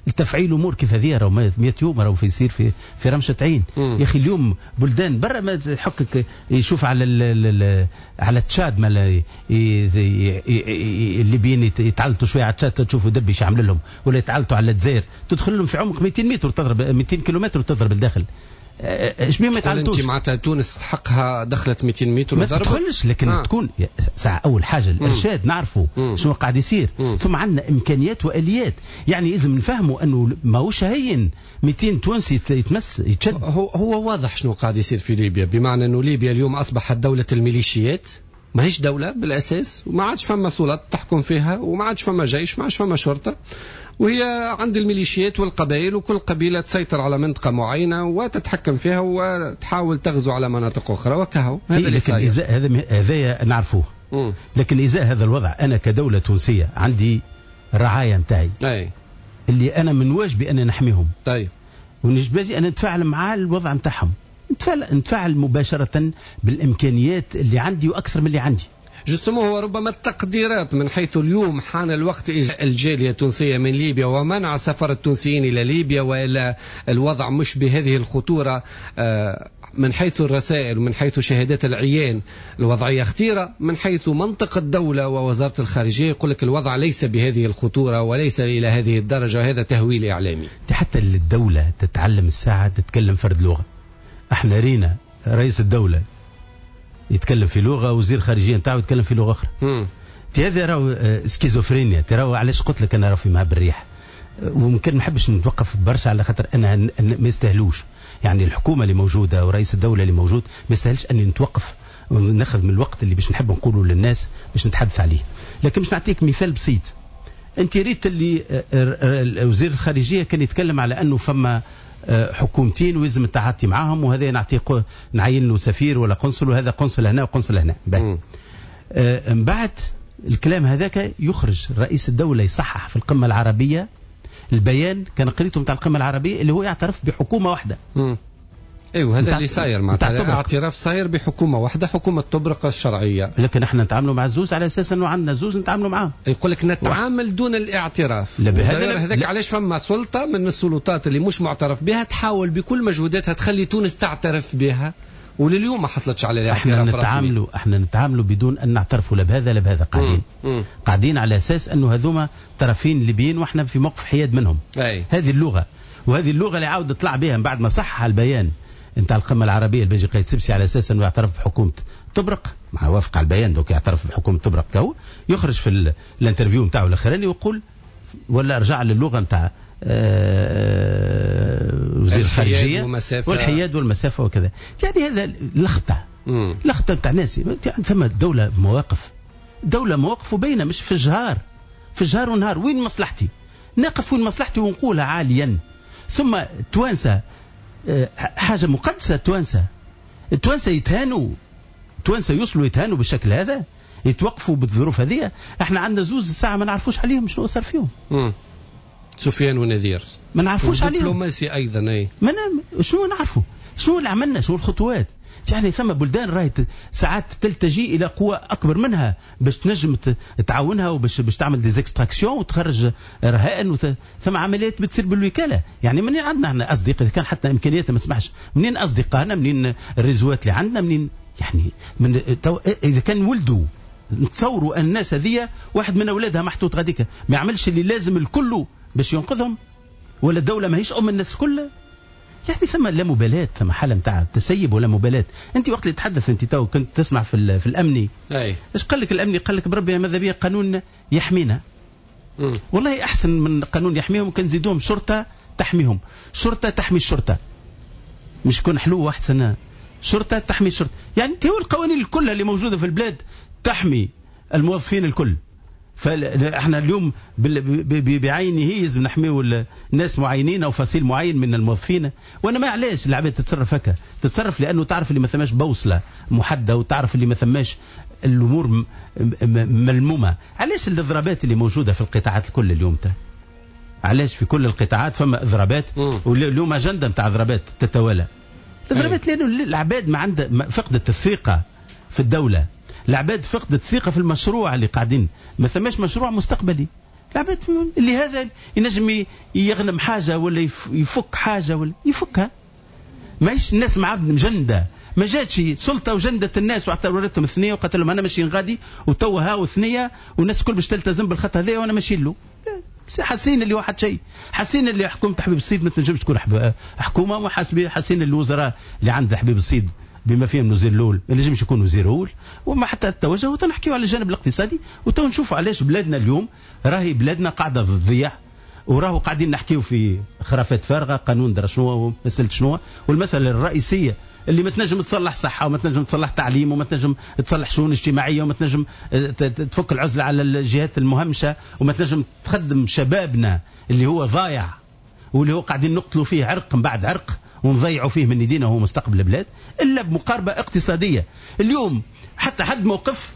التفعيل امور كيف هذه راهو مئة يوم راهو في يصير في في رمشه عين. يا اخي اليوم بلدان برا ما يحكك يشوف على ال ال على تشاد، ما الليبيين يتعلطوا شوية على تشاد تشوفوا دبي ايش عامل لهم، ولا يتعلطوا على الجزائر تدخل لهم في عمق مئتين متر وتضرب مئتين كيلومتر وتضرب الداخل. ايش بيه ما يتعلطوش؟ انت معناتها تونس حقها دخلت مئتين متر ما تدخلش، لكن آه. تكون ساعة اول حاجة الارشاد نعرفوا شنو قاعد يصير، مم. ثم عندنا امكانيات واليات، يعني لازم نفهموا انه ماهوش هين مئتين تونسي يتمس يتشد. هو هو واضح شنو قاعد يصير في ليبيا، بمعنى انه ليبيا اليوم اصبحت دولة الميليشيات، ماهيش دولة بالاساس، وما عادش فما سلطات تحكم فيها، وما عادش فما جيش، ما عادش فما شرطه، وهي عند الميليشيات والقبائل، وكل قبيلة تسيطر على منطقة معينة وتتحكم فيها وتحاول تغزو على مناطق أخرى وكهو. هذا اللي صاير. هذا هذا نعرفوه. لكن إزاء هذا الوضع أنا كدولة تونسية عندي رعاية نتاعي اللي انا من واجبي ان نحميهم. طيب ونجبالي ان نتفاعل مع الوضع نتاعهم، نتفاعل نتفاعل مباشرة بالامكانيات اللي عندي واكثر من اللي عندي. justement هو ربما التقديرات من حيث اليوم حان الوقت الجالية التونسية من ليبيا ومنع سفر التونسيين إلى ليبيا، وإلى الوضع مش بهذه الخطورة من حيث الرسائل ومن حيث شهادات العيان الوضعية خطيرة، من حيث منطق الدولة ووزارة الخارجية يقول لك الوضع ليس بهذه الخطورة وليس إلى هذه الدرجة، هذا تهويل إعلامي. حتى الدولة تتعلم الساعة تتكلم فرد لغة. احنا رينا رئيس الدولة يتكلم في لغة، وزير خارجية نتاعو يتكلم في لغة اخرى. في هذا راهو سكيزوفرينيا، تراو علاش قلت لك انا راهو في مهب الريح، وممكن ما نحبش نتوقف برشا على خاطر انا ما يستاهلوش، يعني الحكومة اللي موجودة ورئيس الدولة اللي موجود ما يستاهلش اني نتوقف وناخذ من الوقت اللي باش نحب نقوله للناس باش نتحدث عليه. لكن باش نعطيك مثال بسيط، انت ريت اللي وزير الخارجية كان يتكلم على انه فما حكومتين ويلزم التعاطي معاهم، وهذا نعطيه نعين له سفير ولا قنصل، وهذا قنصل هنا وقنصل هنا. من بعد الكلام هذاك يخرج رئيس الدولة يصحح في القمة العربية البيان كان قريته نتاع القمة العربية اللي هو يعترف بحكومة واحدة. ايوه هذا اللي صاير معناتها اعتراف صاير بحكومة واحدة، حكومة طبرق الشرعية. لكن احنا نتعاملوا مع الزوز على اساس انه عندنا زوز نتعاملوا معاهم. يقول لك نتعامل دون الاعتراف. لا هذاك علاش فما سلطة من السلطات اللي مش معترف بها تحاول بكل مجهوداتها تخلي تونس تعترف بها، ولليوم ما حصلتش على الاعتراف. احنا نتعاملوا احنا نتعاملوا بدون ان نعترفوا لا بهذا لا بهذا. قاعدين مم. قاعدين على اساس انه هذوما طرفين ليبيين واحنا في موقف حياد منهم. أي. هذه اللغة، وهذه اللغة اللي عاود طلع بها من بعد ما صحح البيان نتاع القمه العربية الباجي قايد سبسي على اساس انه يعترف بحكومة طبرق، مع وافق على البيان donc يعترف بحكومة طبرق كهو، يخرج في ال interview نتاعو الاخراني ويقول ولا رجع للغة نتاع وزير الخارجية والحياد والمسافة وكذا. يعني هذا لخطة لخطة نتاع ناس. يعني ثم دولة مواقف، دولة مواقف وبينه مش في الجهار، في الجهار والنهار وين مصلحتي نقف وين مصلحتي ونقولها عاليا. ثم توانسة حاجة مقدسة، التوانسة التوانسة يتهانوا، التوانسة يوصلوا يتهانوا بالشكل هذا، يتوقفوا بالظروف هذه. احنا عندنا زوز الساعة ما نعرفوش عليهم شنو صار فيهم. مم. سفيان ونذير ما نعرفوش عليهم. دبلوماسي ايضا. اي ما شنو نعرفوا، شنو اللي عملنا، شنو الخطوات. يعني ثم بلدان راهي ساعات تلتجي الى قوى اكبر منها باش تنجم تعاونها وباش باش تعمل des extractions وتخرج رهائن وت... ثم عمليات بتصير بالوكالة. يعني منين عندنا احنا اصدقاء، كان حتى امكانياتنا ما تسمحش، منين اصدقائنا، منين الريزوات اللي عندنا، منين يعني من تو... اذا كان ولدوا نتصوروا الناس هذيا واحد من اولادها محطوط غاديك ما يعملش اللي لازم الكل باش ينقذهم، ولا الدولة ماهيش ام الناس كلها. يعني ثم لا مبالاة، ثم حالة نتاع تسيب ولا مبالاة. أنت وقت اللي تحدث أنت تو كنت تسمع في في الأمني، أي إيش قال لك الأمني؟ قال لك بربي ماذا بيا قانون يحمينا. مم. والله أحسن من قانون يحميهم كان نزيدوهم شرطة تحميهم، شرطة تحمي الشرطة، مش يكون حلو واحد سنة شرطة تحمي الشرطة. يعني هو القوانين الكل اللي موجودة في البلاد تحمي الموظفين الكل. فاحنا اليوم بعينه لازم نحميو ناس معينين او فصيل معين من الموظفين. وانا ما علاش العباد تتصرف هكا، تتصرف لانه تعرف اللي ما ثماش بوصله محددة وتعرف اللي ما ثماش الامور ملمومه. علاش الاضرابات اللي موجودة في القطاعات الكل اليوم تا؟ علاش في كل القطاعات فما اضرابات، واليوم اجندة نتاع اضرابات تتوالى الاضرابات؟ لانه العباد ما عندها فقدت الثقة في الدولة، العباد فقدت الثقة في المشروع اللي قاعدين، ما ثماش مشروع مستقبلي. العباد اللي هذا ينجم يغنم حاجة ولا يفك حاجة ولا يفكها، ماهيش الناس مع عبد مجندة، ما جاتش سلطة وجندت الناس واعتبرتهم ثنية وقالت لهم أنا ماشيين غادي وتوا هاو ثنية والناس الكل باش تلتزم بالخط هذا وأنا ماشي له. حاسين اللي واحد شيء، حاسين اللي حكومة حبيب الصيد ما تنجمش تكون حكومة، وحاسين الوزراء اللي عند حبيب الصيد بما فيهم الوزير الاول ما نجمش يكون وزير اول، وما حتى التوجه. وتنحكيو على الجانب الاقتصادي وتو نشوفوا علاش بلادنا اليوم راهي بلادنا قاعدة تضيع، وراهو قاعدين نحكيو في خرافات فارغة، قانون درا شنو ومسالة شنو، والمسالة الرئيسية اللي ما تنجم تصلح صحة وما تنجم تصلح تعليم وما تنجم تصلح شؤون اجتماعية وما تنجم تفك العزلة على الجهات المهمشه وما تنجم تخدم شبابنا اللي هو ضايع واللي هو قاعدين نقتلوا فيه عرق من بعد عرق ونضيعوا فيه من يدينا وهو مستقبل البلاد، الا بمقاربه اقتصادية. اليوم حتى حد موقف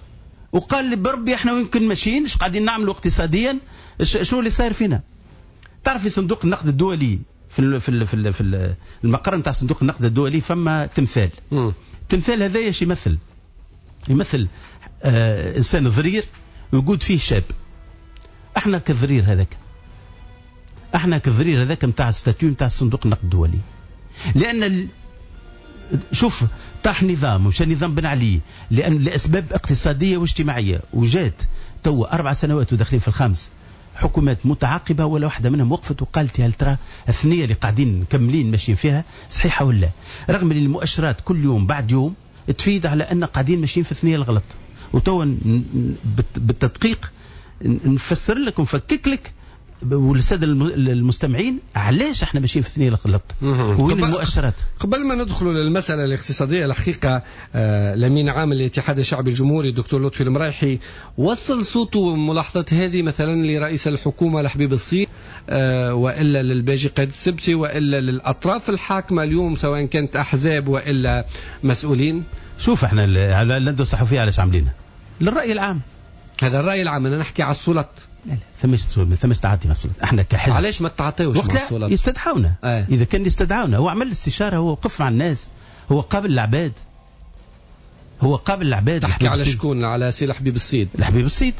وقال لي بربي احنا وين كنا ماشيين، ايش قاعدين نعملوا اقتصاديا، شنو اللي صاير فينا؟ تعرف في صندوق النقد الدولي في في في في المقر نتاع صندوق النقد الدولي فما تمثال. التمثال هذا ايش يمثل؟ يمثل آه انسان ضرير ويقود فيه شاب. احنا كضرير هذاك، احنا كضرير هذاك نتاع statue نتاع صندوق النقد الدولي. لان ال... شوف طاح نظام ومشى نظام بن علي لان لاسباب اقتصادية واجتماعية، وجات تو اربع سنوات وداخلين في الخامس حكومات متعاقبه ولا واحدة منهم وقفت وقالت هل ترى الثنية اللي قاعدين مكملين ماشيين فيها صحيحه ولا؟ رغم ان المؤشرات كل يوم بعد يوم تفيد على ان قاعدين ماشيين في الثنية الغلط. وتو بالتدقيق نفسر لك ونفكك لك والسادة المستمعين علاش احنا ماشيين في الثنية الغلط وين المؤشرات. قبل ما ندخلوا للمسالة الاقتصادية الحقيقة آه الامين عام الاتحاد الشعبي الجمهوري الدكتور لطفي المرايحي وصل صوته وملاحظات هذه مثلا لرئيس الحكومة الحبيب الصيد آه والا للباجي قائد السبتي والا للاطراف الحاكمة اليوم سواء كانت احزاب والا مسؤولين. شوف احنا الندوة الصحفية علاش عاملينها؟ للراي العام. هذا الراي العام، انا نحكي على السلط. لا لا ثماش ثماش تعاطي مع السلط. احنا كحزب علاش ما تعاطيوش مع السلط؟ يستدعونا. آه. اذا كان يستدعونا، هو عمل استشاره، هو وقف مع الناس، هو قابل العباد، هو قابل العباد. تحكي على شكون؟ على سي الحبيب الصيد. الحبيب الصيد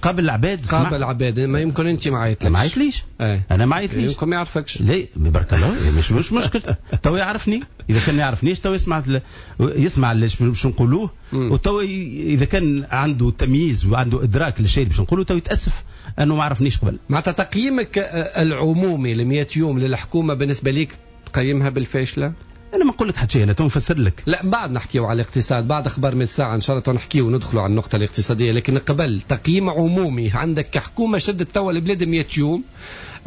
قابل العباد، قابل العباد. ما يمكن انت ما عيطليش. ما عيطليش. آه. انا ما عيطليش. يمكن ما يعرفكش. لا بارك الله مش مش مشكل. تو يعرفني، اذا كان ما يعرفنيش تو يسمع يسمع اللي باش نقولوه، وتو اذا كان عنده تمييز وعنده ادراك للشيء اللي باش نقوله تو يتاسف انه ما عرفنيش قبل. معناتها تقييمك العمومي ل مئة يوم للحكومة بالنسبة ليك تقيمها بالفاشله؟ انا ما نقول لك حتى شيء، انا تو نفسر لك. لا بعد نحكيو على الاقتصاد، بعد اخبار من الساعة ان شاء الله نحكيو وندخلوا على النقطة الاقتصادية، لكن قبل تقييم عمومي عندك كحكومة شدت توا البلاد مئة يوم،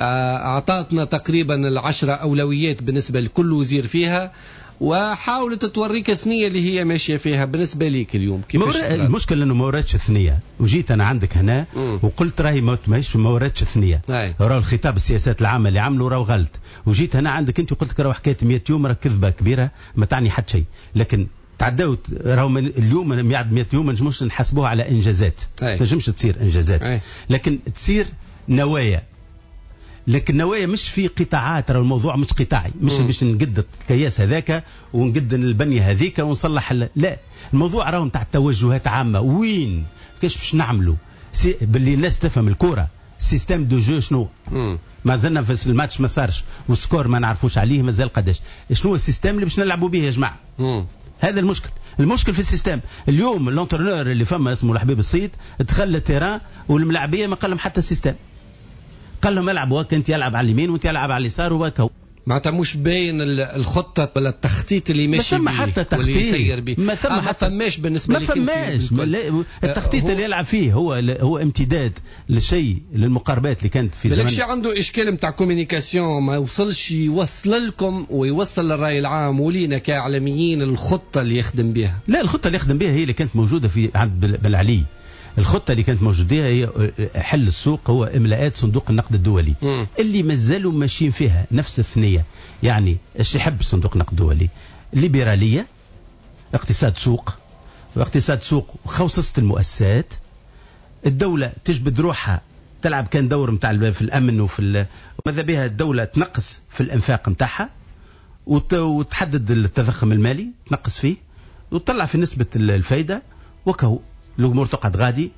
اعطتنا تقريبا العشرة اولويات بالنسبة لكل وزير فيها، وحاولت توريك الثنية اللي هي ماشية فيها. بالنسبة ليك اليوم كيفاش؟ المشكل انه ما وراتش الثنية، وجيت انا عندك هنا مم. وقلت راهي ماهيش ما وراتش الثنية، راهو الخطاب السياسات العامة اللي عملوا راهو غلط، وجيت هنا عندك انت وقلت لك راهو حكاية مئة يوم راه كذبه كبيرة ما تعني حتى شيء، لكن تعداو راهو اليوم مئة يوم ما نجموش نحاسبوها على انجازات، ما تنجمش تصير انجازات، أي. لكن تصير نوايا، لكن النوايا مش في قطاعات، راه الموضوع مش قطاعي، مش باش نقد الكياس هذاك ونقد البنية هذيك ونصلح، لا الموضوع راهو نتاع توجهات عامة، وين كيفاش باش نعملوا باللي الناس تفهم الكره، système de jeu شنو، ما زلنا في الماتش ما صارش وال score ما نعرفوش عليه مازال قداش، شنو ال système اللي باش نلعبوا به يا جماعة؟ مم. هذا المشكل، المشكل في ال système. اليوم l'entraîneur اللي فما اسمه الحبيب الصيد دخل ال terrain والملاعبيه ما قال لهم حتى ال système، قال لهم العب وهكا، انت يلعب على اليمين وانت يلعب على اليسار وهكا. معناتها مش باين الخطة ولا التخطيط اللي ماشي بيه، ما ثم حتى تخطيط، ما ثم آه حتى ما فماش بالنسبة لك، ما فماش التخطيط اللي يلعب فيه هو هو امتداد للشيء للمقاربات اللي كانت في زمان. بالكش عنده اشكال نتاع communication، ما وصلش يوصل لكم ويوصل للراي العام ولينا كاعلاميين الخطة اللي يخدم بها. لا الخطة اللي يخدم بها هي اللي كانت موجودة في عند بلعلي. الخطة اللي كانت موجودة هي حل السوق، هو إملاءات صندوق النقد الدولي م. اللي مازالوا ماشيين فيها نفس الثنية. يعني ايش يحب صندوق النقد الدولي؟ ليبرالية، اقتصاد سوق، واقتصاد سوق خوصصة المؤسسات، الدولة تجبد روحها تلعب كان دور نتاع في الأمن وفي ماذا بها الدولة تنقص في الإنفاق نتاعها وتحدد التضخم المالي تنقص فيه وتطلع في نسبة الفايدة وكهو الامور تقعد غادي.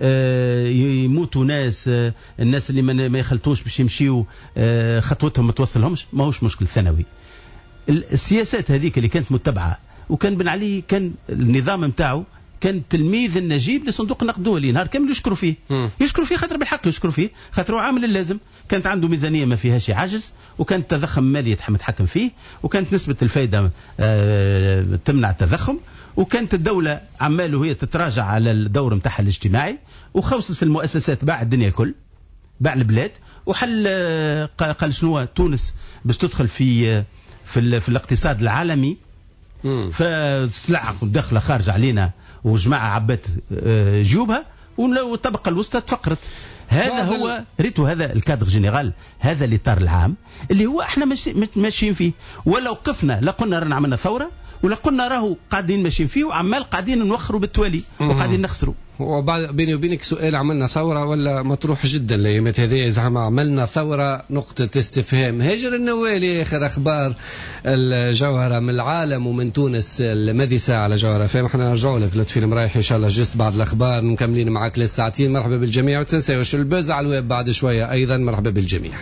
آه يموتوا ناس، آه الناس اللي ما يخلطوش باش يمشيو آه خطوتهم ما توصلهمش، ماهوش مشكل ثانوي. السياسات هذيك اللي كانت متبعة، وكان بن علي كان النظام نتاعو كان تلميذ النجيب لصندوق النقد الدولي، نهار كامل يشكروا فيه، م. يشكروا فيه خاطر بالحق يشكروا فيه، خاطر هو عامل اللازم، كانت عنده ميزانية ما فيهاش عجز، وكان التضخم المالي متحكم فيه، وكانت نسبه الفائدة آه تمنع التضخم، وكانت الدولة عمال وهي تتراجع على الدور نتاعها الاجتماعي، وخوصص المؤسسات باع الدنيا الكل، باع البلاد، وحل قال شنو تونس باش تدخل في في, في الاقتصاد العالمي، فسلع داخله خارجه علينا وجماعه عبات جيوبها، والطبقة الوسطى تفقرت. هذا هو ريتو، هذا ال cadre général، هذا الاطار العام اللي هو احنا ماشيين فيه. ولو قفنا لا قلنا رانا عملنا ثورة، ولا قلنا راهو قاعدين ماشيين فيه وعمال قاعدين نوخروا بالتوالي وقاعدين نخسروا. وبعد بيني وبينك سؤال، عملنا ثورة ولا مطروح جدا الايامات هذه؟ زعما عملنا ثورة نقطة استفهام. هاجر النوالي، اخر اخبار الجوهرة من العالم ومن تونس الماذي ساعة على جوهرة فهم. احنا نرجعوا لك لطفي المرايح ان شاء الله juste بعد الاخبار، مكملين معاك للساعتين. مرحبا بالجميع، وتنساوش ال buzz على الويب بعد شوية ايضا. مرحبا بالجميع.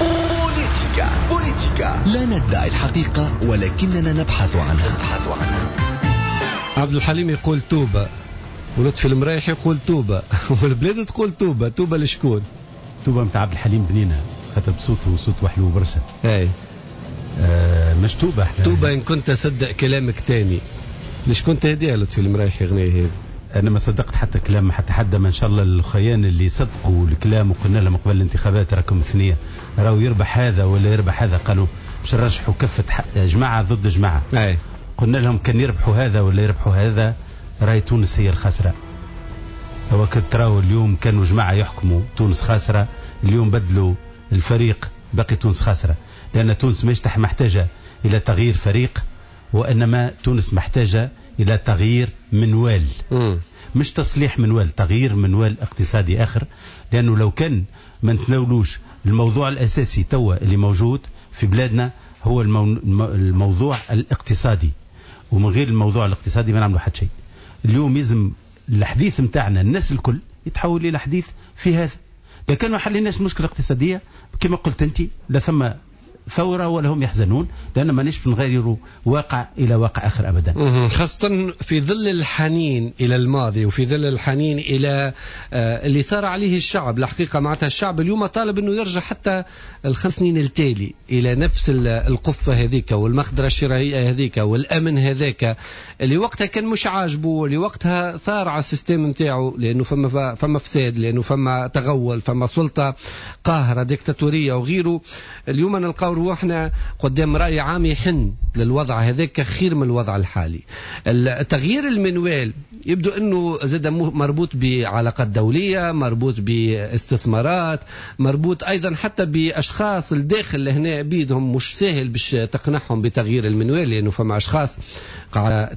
بوليتيكا بوليتيكا، لا ندعي الحقيقة ولكننا نبحث عنها. نبحث عنها. عبد الحليم يقول توبة، ولطفي المرايح يقول توبة، والبلاد تقول توبة. توبة لشكون؟ توبة نتاع عبد الحليم بنينة، خاطر بصوته صوته حلو برشا. اي آه مش توبة احنا. توبة إن كنت أصدق كلامك تاني. لشكون تهديها لطفي المرايح أغنية هذه؟ أنا ما صدقت حتى كلام حتى حد، ما إن شاء الله الخيان اللي صدقوا الكلام وقلنا لهم قبل الانتخابات راكم ثنية، راهو يربح هذا ولا يربح هذا، قالوا باش نرشحوا كفة جماعة ضد جماعة. أي. قلنا لهم كان يربحوا هذا ولا يربحوا هذا راي تونس هي الخاسرة. هو تراو اليوم كانوا جماعة يحكموا تونس خاسرة، اليوم بدلوا الفريق باقي تونس خاسرة، لأن تونس مش محتاجة إلى تغيير فريق، وإنما تونس محتاجة إلى تغيير منوال. م. مش تصليح منوال، تغيير منوال اقتصادي آخر. لأنه لو كان ما نتناولوش الموضوع الأساسي توا اللي موجود في بلادنا هو الموضوع الاقتصادي، ومن غير الموضوع الاقتصادي ما نعملوا حتى شيء. اليوم يلزم الحديث متاعنا الناس الكل يتحول إلى حديث في هذا. لكن ما حليناش المشكلة الاقتصادية كما قلت أنت، لا ثم ثورة ولا هم يحزنون، لأن ما نش نغيروا واقع إلى واقع آخر أبدا، خاصة في ظل الحنين إلى الماضي وفي ظل الحنين إلى اللي صار عليه الشعب. الحقيقة معناتها الشعب اليوم طالب أنه يرجع حتى الخمس سنين التالي إلى نفس القفة هذيك والمخدرة الشرائية هذيك والأمن هذاك اللي وقتها كان مش عاجبه، اللي وقتها ثار على ال système نتاعو، لأنه فما فما فساد، لأنه فما تغول، فما سلطة قاهرة ديكتاتورية وغيره. اليوم نلقاو روحنا قدام رأي عام يحن للوضع هذاك خير من الوضع الحالي. التغيير المنوال يبدو أنه زاد مربوط بعلاقات دولية، مربوط باستثمارات، مربوط أيضا حتى بأشخاص الداخل لهنا بيدهم مش سهل باش تقنعهم بتغيير المنوال، لأنه فما أشخاص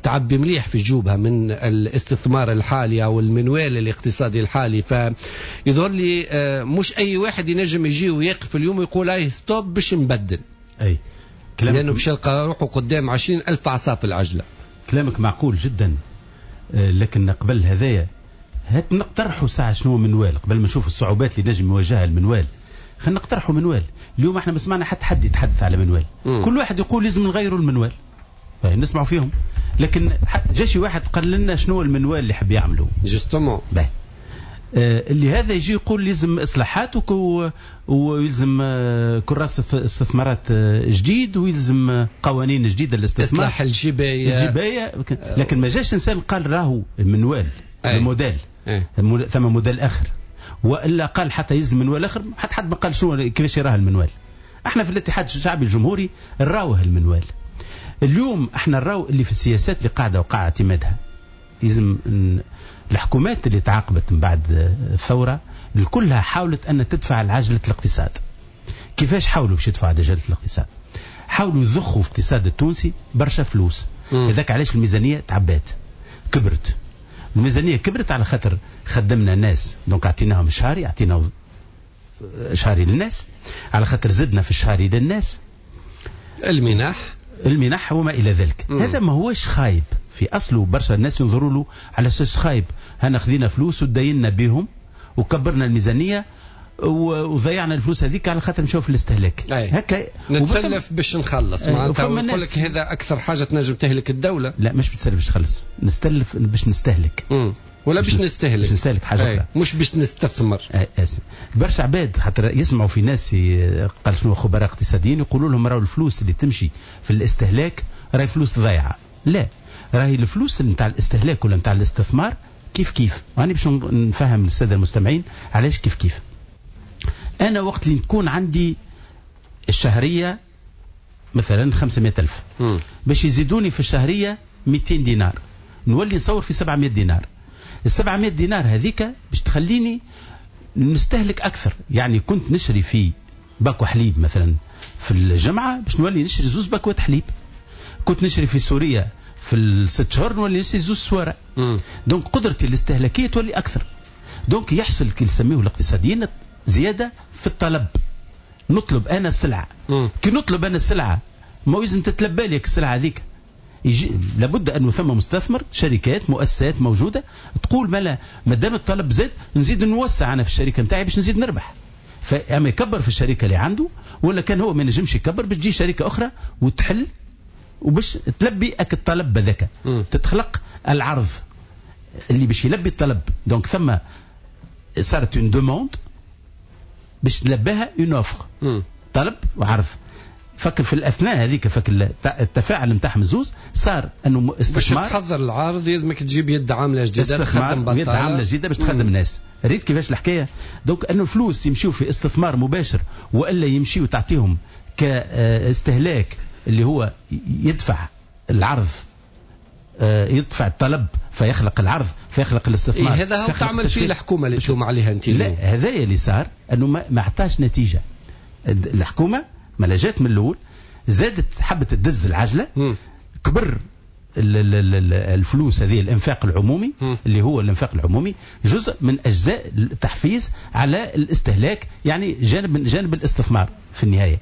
تعبي مليح في جيوبها من الاستثمار الحالي أو المنوال الاقتصادي الحالي. فيظهر لي مش أي واحد ينجم يجي ويقف اليوم ويقول أي stop باش نبدل. أي لأنه باش يلقى روحه قدام عشرين ألف عصا في العجلة. كلامك معقول جدا، لكن قبل هذايا هات نقترحوا ساعة شنو منوال قبل ما نشوف الصعوبات اللي نجم يواجهها المنوال. خلينا نقترحوا منوال. اليوم احنا ما سمعنا حتى حد يتحدث على منوال. م. كل واحد يقول لازم نغيروا المنوال، نسمعوا فيهم، لكن جاشي واحد قال لنا شنو المنوال اللي حب يعمله justement. اللي هذا يجي يقول لازم اصلاحات ويلزم كراسة استثمارات جديد ويلزم قوانين جديدة للاستثمار، اصلاح الجبايه الجبايه. لكن ما جاش انسان قال راهو المنوال الموديل، ثم موديل اخر، والا قال حتى يلزم منوال اخر. حتى حد ما قال شنو كيفاش يراه المنوال. احنا في الاتحاد الشعبي الجمهوري نراوه المنوال. اليوم احنا نراو اللي في السياسات اللي قاعدة وقع اعتمادها لازم الحكومات اللي تعاقبت من بعد الثورة كلها حاولت أن تدفع العجلة الاقتصاد. كيفاش حاولوا باش يدفعوا عجلة الاقتصاد؟ حاولوا يضخوا في الاقتصاد التونسي برشا فلوس. هذاك علاش الميزانية تعبات كبرت. الميزانية كبرت على خاطر خدمنا ناس، donc اعطيناهم شهري، اعطينا شهري للناس، على خاطر زدنا في الشهري للناس، المنح المنح وما إلى ذلك. مم. هذا ما هوش خايب في أصله، برشا الناس ينظروا له على أساس خايب. هنا خذينا فلوس ودينا بهم وكبرنا الميزانية وضيعنا الفلوس هذيك على خاطر نشوف في الاستهلاك. هكا نتسلف باش نخلص، معناتها نقول لك هذا أكثر حاجة تنجم تهلك الدولة. لا مش بتسلف باش تخلص، نستلف باش نستهلك. مم. ولا باش نستهلك، باش نستهلك حاجة أخرى، مش باش نستثمر. آسف. برشا عباد حتى يسمعوا في ناس قال شنو خبراء اقتصاديين يقولوا لهم راهو الفلوس اللي تمشي في الاستهلاك راهي فلوس ضايعة. لا، راهي الفلوس نتاع الاستهلاك ولا نتاع الاستثمار كيف كيف. وأنا باش نفهم السادة المستمعين علاش كيف كيف. أنا وقت اللي نكون عندي الشهرية مثلا خمسمائة ألف، باش يزيدوني في الشهرية مئتين دينار، نولي نصور في سبعمائة دينار. ال سبعمائة دينار هذيك باش تخليني نستهلك أكثر. يعني كنت نشري في باكو حليب مثلا في الجمعة، باش نولي نشري زوز باكوات حليب. كنت نشري في سوريا في الست شهور نولي نشري زوز سوارة. donc قدرتي الاستهلاكية تولي اكثر. donc يحصل كي نسميه الاقتصاديين زيادة في الطلب. نطلب انا السلعة، كي نطلب انا السلعة ما لازم تتلبى لك السلعة هذيك. يجي لابد انه ثم مستثمر، شركات، مؤسسات موجودة تقول ما لا ما دام الطلب زاد نزيد نوسع انا في الشركة نتاعي باش نزيد نربح. فاما يكبر في الشركة اللي عنده، ولا كان هو ما نجمش يكبر باش تجي شركة اخرى وتحل وباش تلبي اك الطلب هذاك. تتخلق العرض اللي باش يلبي الطلب. donc ثم صارت une demande باش تلبيها une offre، طلب وعرض. فكر في الاثناء هذيك، فكر التفاعل نتاعهم الزوز صار انه استثمار. باش تحضر العرض لازمك تجيب يد عامله جديدة تخدم بطاله، يد عامله جديدة باش تخدم الناس. ريت كيفاش الحكاية؟ donc انه الفلوس يمشيو في استثمار مباشر والا يمشيو تعطيهم كاستهلاك اللي هو يدفع العرض، يدفع الطلب فيخلق العرض فيخلق الاستثمار. إيه هذا هو تعمل فيه الحكومة اللي تلوم عليها انت. لا هذا اللي صار انه ما عطاش نتيجة. الحكومة ما جات من الاول زادت حبت تدز العجلة. م. كبر الفلوس هذه، الانفاق العمومي. م. اللي هو الانفاق العمومي جزء من اجزاء التحفيز على الاستهلاك، يعني جانب من جانب الاستثمار في النهاية.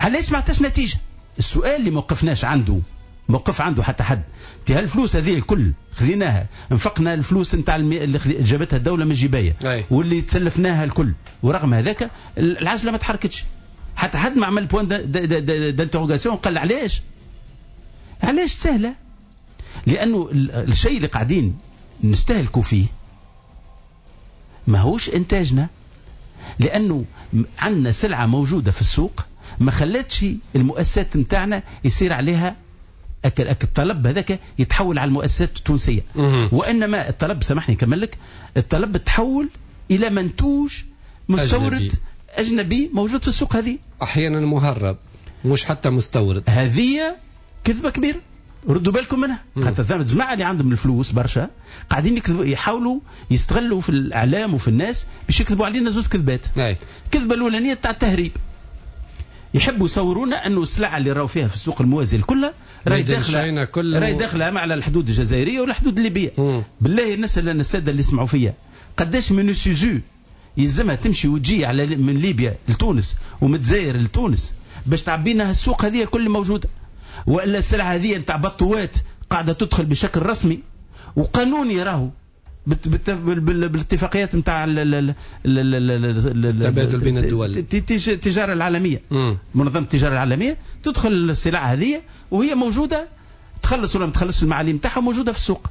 علاش ما عطاش نتيجة؟ السؤال اللي موقفناش عنده، موقف عنده حتى حد. تي هالفلوس هذه الكل خذيناها، انفقنا الفلوس نتاع المي... اللي جابتها الدولة من الجبايه واللي تسلفناها الكل، ورغم هذاك العجلة ما تحركتش. حتى حد ما عمل point d'interrogation قال علاش؟ علاش؟ سهلة، لانه الشيء اللي قاعدين نستهلكوا فيه ماهوش انتاجنا، لانه عندنا سلعه موجودة في السوق ما خلتش المؤسسات نتاعنا يصير عليها أك أك الطلب هذاك يتحول على المؤسسات التونسية. وانما الطلب، سامحني نكمل لك، الطلب تحول الى منتوج مستورد أجنبي. أجنبي موجود في السوق هذه، أحيانا مهرب مش حتى مستورد. هذه كذبة كبيرة، ردوا بالكم منها. خاطر الجماعة اللي عندهم الفلوس برشا قاعدين يكذبوا، يحاولوا يستغلوا في الإعلام وفي الناس باش يكذبوا علينا زوج كذبات. الكذبة الأولانية تاع التهريب، يحبوا يصورونا أنه السلعة اللي راهو فيها في السوق الموازي الكل راهي داخلة، راهي داخلة على الحدود الجزائرية والحدود الليبية. مم. بالله الناس اللي السادة اللي يسمعوا فيا، قداش من سوزو يلزمها تمشي وتجي على من ليبيا لتونس ومن الجزائر لتونس باش تعبينا السوق هذه الكل موجودة؟ والا السلعة هذه نتاع بطوات قاعدة تدخل بشكل رسمي وقانوني، راهو بالاتفاقيات نتاع التبادل بين الدول، التجارة العالمية، منظمة التجارة العالمية، تدخل السلعة هذه وهي موجودة، تخلص ولا ما تخلصش المعاليم نتاعها موجودة في السوق.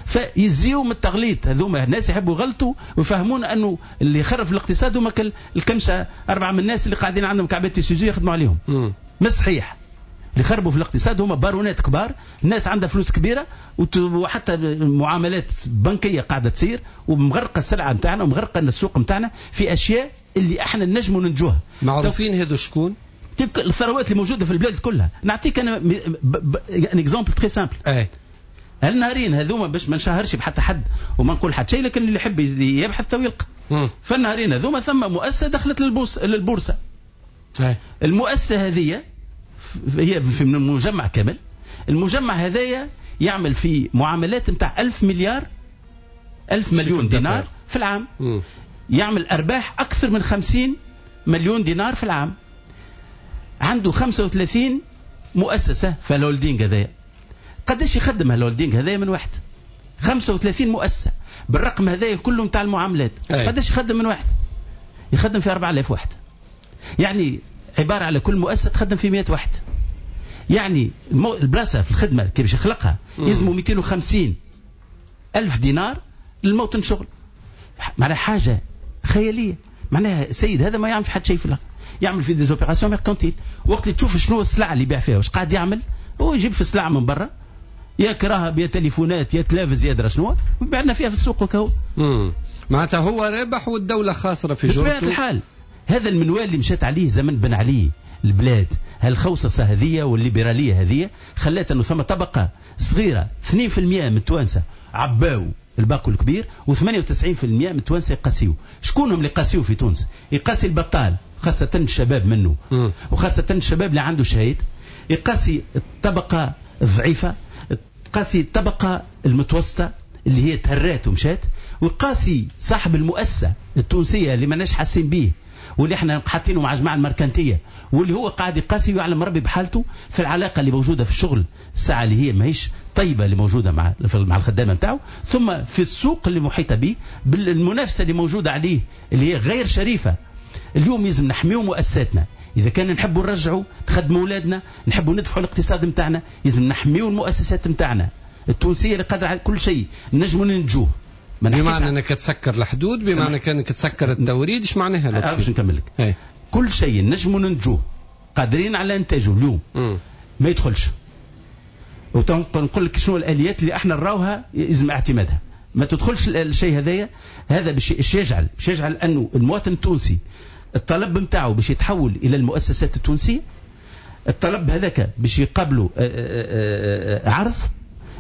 فيزيو من التغليط، هذوما الناس يحبوا يغلطوا ويفهمون انه اللي يخرف الاقتصاد هما الكمشه اربعة من الناس اللي قاعدين عندهم كعبات سيزو يخدموا عليهم. مش صحيح. اللي خربوا في الاقتصاد هما بارونات كبار، الناس عندها فلوس كبيرة وحتى معاملات بنكيه قاعدة تصير ومغرقه السلعة نتاعنا ومغرقه السوق نتاعنا في اشياء اللي احنا نجموا ننجوها. معروفين هذو شكون؟ تلك الثروات اللي موجودة في البلاد كلها. نعطيك انا un exemple très simple. النهارين هذوما باش ما نشهرش بحتى حد وما نقول حتى شيء، لكن اللي يحب يبحث تو يلقى. فالنهارين هذوما ثم مؤسسة دخلت للبوس للبورصه. المؤسسة هذه هي في مجمع كامل، المجمع هذايا يعمل في معاملات نتاع ألف مليار ألف مليون دينار في العام. مم. يعمل أرباح أكثر من خمسين مليون دينار في العام. عنده خمسة وثلاثين مؤسسة في ال holding هذايا. قداش يخدم ال holding هذايا من واحد؟ خمسة وثلاثين مؤسسة بالرقم هذايا كله نتاع المعاملات. قداش يخدم من واحد؟ يخدم في أربعة آلاف واحد. يعني عبارة على كل مؤسسة تخدم في مئة واحد. يعني البلاصة في الخدمة كيفاش يخلقها يلزموا مئتين وخمسين ألف دينار للموطن شغل. معناها حاجة خيالية. معناها السيد هذا ما يعمل في حد شيء في الأرض، يعمل في des opérations mercantiles. وقت اللي تشوف شنو السلعة اللي يبيع فيها واش قاعد يعمل، هو يجيب في سلعة من برا، يا كراهب يا تليفونات يا تلافز يا درا شنو، ويبيع لنا فيها في السوق وكهو. معناتها هو رابح والدولة خاسرة في جرته. بطبيعة الحال هذا المنوال اللي مشات عليه زمن بن علي البلاد، هالخوصصة هذه والليبرالية هذه خلات أنه ثم طبقة صغيرة اثنين بالمئة من التوانسة عباو الباكو الكبير، وثمانية وتسعين بالمئة من التوانسة يقاسيو. شكون هم اللي يقاسيو في تونس؟ يقاسي البطال، خاصة الشباب منه، وخاصة الشباب اللي عنده شهادة، يقاسي الطبقة الضعيفة، ويقاسي الطبقة المتوسطة اللي هي تهرات ومشات، ويقاسي صاحب المؤسسة التونسية اللي ماناش حاسين به واللي احنا حاطينه مع جماعة المركنتيه، واللي هو قاعد يقاسي ويعلم ربي بحالته في العلاقة اللي موجودة في الشغل الساعة اللي هي ماهيش طيبة اللي موجودة مع مع الخدامة نتاعو، ثم في السوق اللي محيطه به بالمنافسه اللي موجودة عليه اللي هي غير شريفه. اليوم لازم نحميو مؤسساتنا، اذا كان نحبوا نرجعوا نخدموا اولادنا، نحبوا ندفعوا الاقتصاد نتاعنا، لازم نحميو المؤسسات نتاعنا التونسية اللي قادرة على كل شيء، نجموا ننجوه. بمعنى انك تسكر الحدود، بمعنى انك تسكر التوريد، ايش معناها لطفي؟ باش نكمل لك. كل شيء نجموا ننتجوه قادرين على انتاجه اليوم م. ما يدخلش. ونقول لك شنو الاليات اللي احنا نراوها لازم اعتمادها. ما تدخلش الشيء هذايا، هذا باش يجعل باش يجعل انه المواطن التونسي الطلب نتاعو باش يتحول الى المؤسسات التونسية، الطلب هذاك باش يقابلوا عرض،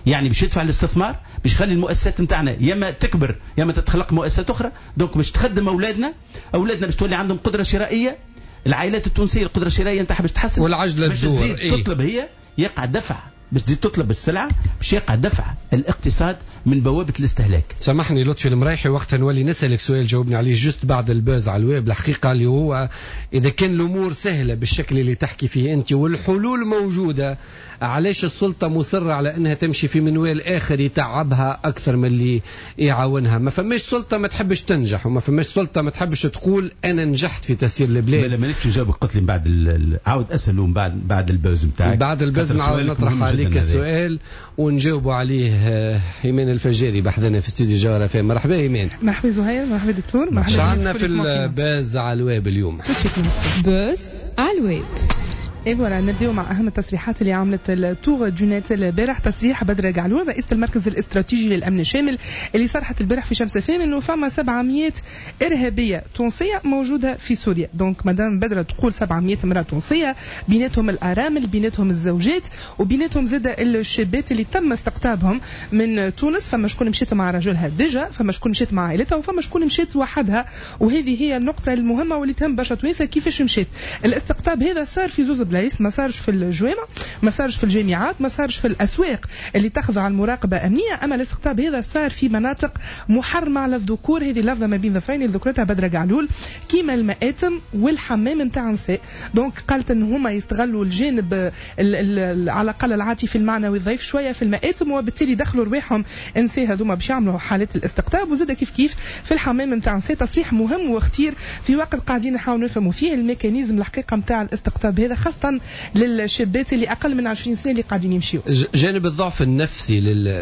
يعني باش يدفع الاستثمار، باش يخلي المؤسسات نتاعنا يا اما تكبر يا اما تتخلق مؤسسات اخرى. donc باش تخدم اولادنا، اولادنا باش تولي عندهم قدره شرائية، العائلات التونسية القدرة الشرائية نتاعها باش تحسن، والعجلة باش تزيد إيه؟ تطلب هي، يقع دفع باش تزيد تطلب السلعة، باش يقع دفع الاقتصاد من بوابه الاستهلاك. سامحني لطفي المرايحي، وقتها نولي نسالك سؤال جاوبني عليه juste بعد ال buzz على الويب. الحقيقة اللي هو اذا كان الامور سهلة بالشكل اللي تحكي فيه انت والحلول موجودة، علاش السلطة مصرة على انها تمشي في منوال اخر يتعبها اكثر من اللي يعاونها؟ ما فماش سلطة ما تحبش تنجح، وما فماش سلطة ما تحبش تقول انا نجحت في تسيير البلاد. لا مانيش نجاوبك، قلت لي من بعد ال... عاود اسال ومن بعد بعد ال pause نتاعك. بعد ال pause نعاود نطرح عليك السؤال ونجاوبوا عليه. ايمان الفجاري بحذنا في استوديو جوهرة فام. مرحبا ايمان. مرحبا زهير، مرحبا دكتور، مرحبا. عندنا في ال buzz على الويب اليوم؟ buzz على الويب. et voilà نبداو مع اهم التصريحات اللي عملت ال Tour du Net البارح. تصريح بدر قعلول رئيسة المركز الاستراتيجي للامن الشامل اللي صرحت البارح في شمس فام انه فما سبعمية ارهابية تونسية موجودة في سوريا. donc madame بدر تقول سبعمية امراة تونسية، بيناتهم الارامل، بيناتهم الزوجات، وبيناتهم زاد الشابات اللي تم استقطابهم من تونس. فما شكون مشيت مع رجلها déjà، فما شكون مشيت مع عائلتها، وفما شكون مشيت وحدها. وهذه هي النقطة المهمة واللي تهم برشا توانسة، كيفاش مشيت. الاستقطاب هذا صار في زوز بلايص، ما صارش في الجوامع، ما صارش في الجامعات، ما صارش في الاسواق اللي تخضع المراقبة امنية، اما الاستقطاب هذا صار في مناطق محرمة على الذكور. هذه اللفظه ما بين ظفرين اللي ذكرتها بدر قعلول، كيما المآتم والحمام نتاع النساء. donc قالت ان هما يستغلوا الجانب على الاقل العاطفي المعنوي الضعيف شوية في المآتم، وبالتالي دخلوا رواحهم النساء هذوما باش يعملوا حالات الاستقطاب، وزاد كيف كيف في الحمام نتاع النساء. تصريح مهم وخطير في وقت قاعدين نحاولوا نفهموا فيه ال mécanisme الحقيقة نتاع الاستقطاب هذا، خاصة للشابات اللي اقل من عشرين سنة اللي قاعدين يمشيوا. جانب الضعف النفسي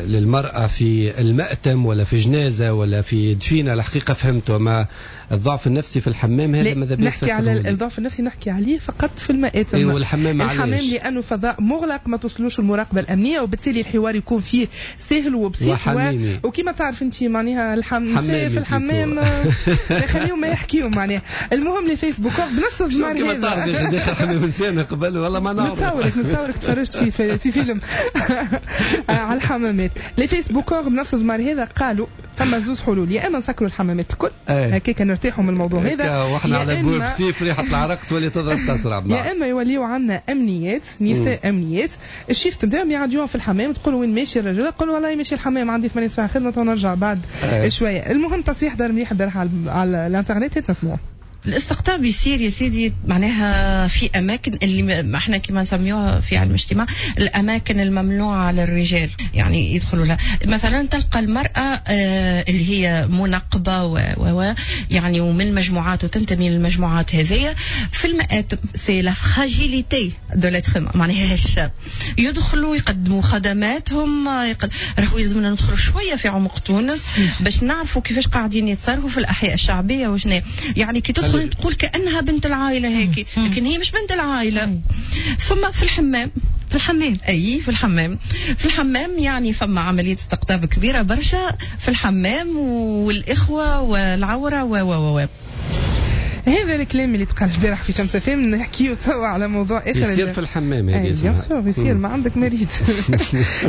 للمراة في المأتم ولا في جنازه ولا في دفينه الحقيقة فهمته، ما الضعف النفسي في الحمام هذا ماذا بيك؟ نحكي على الضعف النفسي نحكي عليه فقط في المآتم. إيه والحمام الحمام لانه فضاء مغلق ما توصلوش المراقبة الامنية، وبالتالي الحوار يكون فيه سهل وبسيط و... وكما تعرف انت معناها الحم... في الحمام خليهم ما يحكيوا معناها. المهم les facebookeurs بنفس الضمار هذا. كما تعرف داخل حمام انسان قبل والله ما نعرف. نتصورك نتصورك تفرجت في في, في فيلم على الحمامات. les facebookeurs بنفس الضمار هذا قالوا فما زوز حلول، يا اما نسكروا الحمامات الكل هكاك نرتاحوا من الموضوع هذا، واحنا على بواب سيف ريحه العرق تولي تضرب تسرع، يا اما يوليو عندنا امنيات نساء امنيات ال shift نتاعهم يعديوهم في الحمام، تقول وين ماشي الرجل؟ قول والله ماشي الحمام عندي ثمانية ساعات خدمة ونرجع بعد أيه. شوية. المهم تصريح دار مليح البارح على, على الانترنت نسمعوه. الاستقطاب يصير يا سيدي معناها في اماكن اللي احنا كما نسميوها في علم الاجتماع الاماكن الممنوعه على الرجال، يعني يدخلوا لها. مثلا تلقى المراة اللي هي منقبة و و يعني ومن المجموعات وتنتمي للمجموعات هذيا في المآتم. c'est la fragilité de l'être معناها هشه، يدخلوا يقدموا خدماتهم. يقد... راهو يلزمنا ندخلوا شوية في عمق تونس باش نعرفوا كيفاش قاعدين يتصرفوا في الاحياء الشعبية وشنو يعني. كي تدخل تقول كأنها بنت العائلة هيك، لكن هي مش بنت العائلة. ثم في الحمام، في الحمام أي في الحمام في الحمام يعني فما عملية استقطاب كبيرة برشا في الحمام والإخوة والعورة و و و. هذا الكلام اللي تقال البارح في شمس اف ام. نحكيو توا على موضوع اخر يصير في الحمام هذه، bien sûr يصير، ما عندك مريض.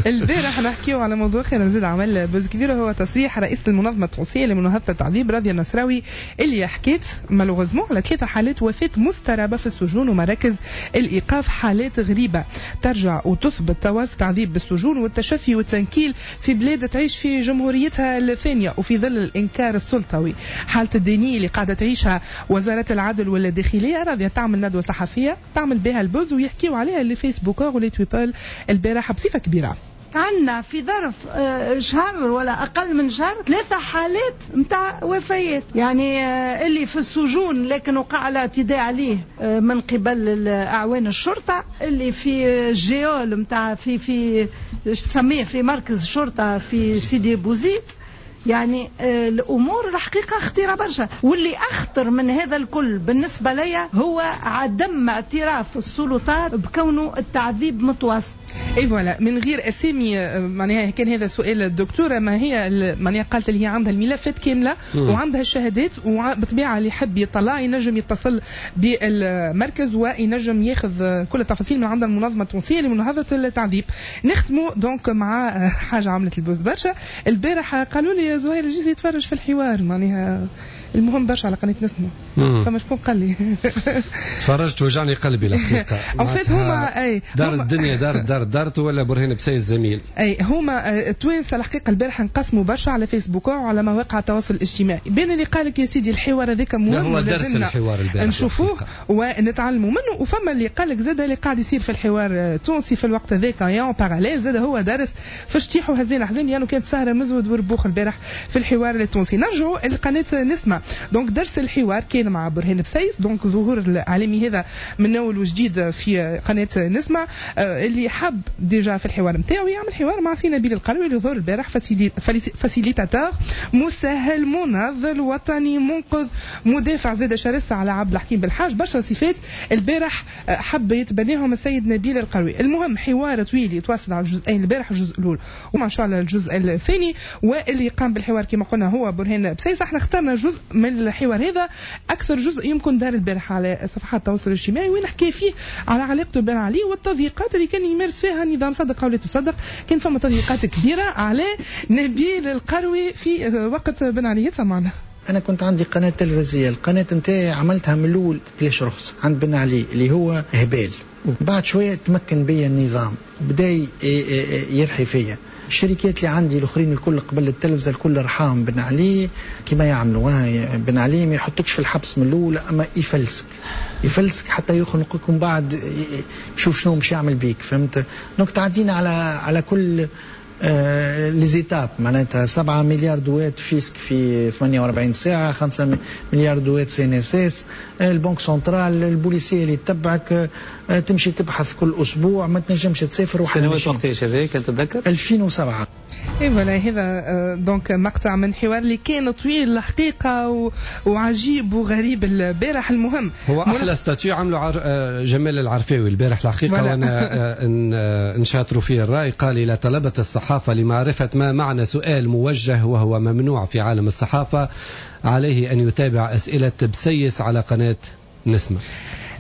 البارح نحكيو على موضوع اخر نزيد عمل buzz كبير، وهو تصريح رئيس المنظمة التونسية لمناهضه التعذيب راضية النصراوي اللي حكيت malheureusement على ثلاثة حالات وفاه مسترابه في السجون ومراكز الايقاف، حالات غريبة ترجع وتثبت تواصل تعذيب بالسجون والتشفي والتنكيل في بلاد تعيش في جمهوريتها الثانية وفي ظل الانكار السلطوي. حاله ال déni اللي قاعدة تعيشها وزارة العدل والداخليه، راضية تعمل ندوه صحفية تعمل بها ال buzz ويحكيوا عليها les facebookeurs و les tweepeuls البارحة بصفة كبيرة. عندنا في ظرف شهر ولا أقل من شهر ثلاثة حالات متاع وفيات، يعني اللي في السجون لكن وقع الاعتداء عليه من قبل أعوان الشرطة، اللي في geôle متاع في في تسميه في مركز الشرطة في سيدي بوزيد. يعني الأمور الحقيقة خطيرة برشا، واللي أخطر من هذا الكل بالنسبة لي هو عدم اعتراف السلطات بكونه التعذيب متواصل. اي voilà، من غير اسامي معناها كان هذا سؤال الدكتورة، ما هي معناها قالت اللي هي عندها الملفات كاملة مم. وعندها الشهادات، وبالطبيعه اللي يحب يطلع ينجم يتصل بالمركز وينجم ياخذ كل التفاصيل من عند المنظمة التونسية لمناهضه التعذيب. نختموا donc مع حاجة عملت ال buzz برشا البارح، قالوا لي زهير الجيزي يتفرج في الحوار، معناها المهم برشا على قناة نسمة، فما شكون قال لي تفرجت وجعني قلبي الحقيقة. en fait هما اي دار الدنيا دار دار دارت ولا برهان بسيس الزميل. اي هما التوانسة الحقيقة البارح انقسموا برشا على فيسبوك وعلى مواقع التواصل الاجتماعي، بين اللي قال لك يا سيدي الحوار هذاك مهم هو درس الحوار البارح نشوفوه ونتعلموا منه، وفما اللي قال لك زاد اللي قاعد يصير في الحوار التونسي في الوقت هذاك en parallèle زاد هو درس في شتيح وهزين حزين، لانه كانت سهره مزود وربوخ البارح في الحوار التونسي. نرجعوا لقناه نسمه، donc درس الحوار كان مع برهان بسيس، donc ظهور الاعلامي هذا من اول وجديد في قناة نسمه، اللي حب déjà في الحوار نتاعو يعمل حوار مع سي نبيل القروي اللي ظهر البارح facilitateur مسهل مناضل وطني منقذ مدافع زاد شرس على عبد الحكيم بالحاج، برشا صفات البارح حب يتبناهم السيد نبيل القروي. المهم حوار طويل يتواصل على الجزئين البارح، الجزء الاول وما شاء الله الجزء الثاني، واللي قام بالحوار كما قلنا هو برهان بسيس. احنا اخترنا جزء من الحوار هذا، اكثر جزء يمكن دار البارح على صفحات التواصل الاجتماعي، وين حكى فيه على علاقته بن علي والتضييقات اللي كان يمارس فيها النظام، صدق او لا تصدق كان فما تضييقات كبيرة على نبيل القروي في وقت بن علي. سمعنا. انا كنت عندي قناة تلفزيونية، القناة نتاعي عملتها من الاول بلاش رخص عند بن علي اللي هو هبال، بعد شوية تمكن بيا النظام بدا يرحي فيا. الشركات اللي عندي الاخرين الكل قبل التلفزة الكل رحاهم بن علي كما يعملوا. بن علي ما يحطكش في الحبس من الاول، اما يفلسك يفلسك حتى يخنقك ومن بعد يشوف شنو مش يعمل بيك، فهمت؟ donc تعدينا على على كل آه les étapes، معناتها سبعة مليار دوات fisc في ثمانية وأربعين ساعة، خمسة مليار دوات CNSS، ال banque centrale، البوليسيه اللي تتبعك، آه تمشي تبحث كل اسبوع، ما تنجمش تسافر. سنوات وقتاش هذاك تتذكر؟ ألفين وسبعة. اي voilà، هذا donc مقطع من حوار اللي كان طويل الحقيقة و... وعجيب وغريب البارح. المهم هو احلى statut عملوا عر... جمال العرفاوي البارح الحقيقة، وانا نشاطروا فيه الراي. قال الى طلبه الصحافة لمعرفة ما معنى سؤال موجه وهو ممنوع في عالم الصحافة عليه ان يتابع اسئلة بسيس على قناة نسمه.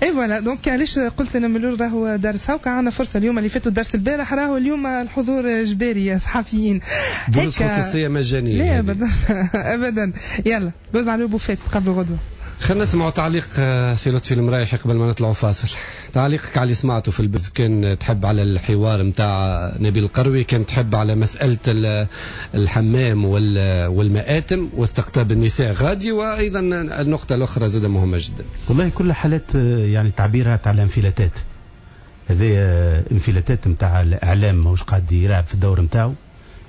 اي voilà، donc علاش قلت انا من الاول راهو درس، هاكا عندنا فرصة اليوم اللي فاتوا درس البارح، راهو اليوم الحضور جباري يا صحفيين، دروس خصوصية مجانية. لا ابدا ابدا. يلا buzz على بوفات قبل غدوه. خلينا نسمعوا تعليق سي لطفي المرايحي قبل ما نطلعوا فاصل. تعليقك على اللي سمعته في ال buzz، كان تحب على الحوار نتاع نبيل القروي، كان تحب على مسألة الحمام والمآتم واستقطاب النساء غادي، وأيضا النقطة الأخرى زادة مهمة جدا. والله كل حالات يعني تعبيرها على انفلاتات، هذه انفلاتات نتاع الإعلام ماهوش قاعد يلعب في الدور نتاعو،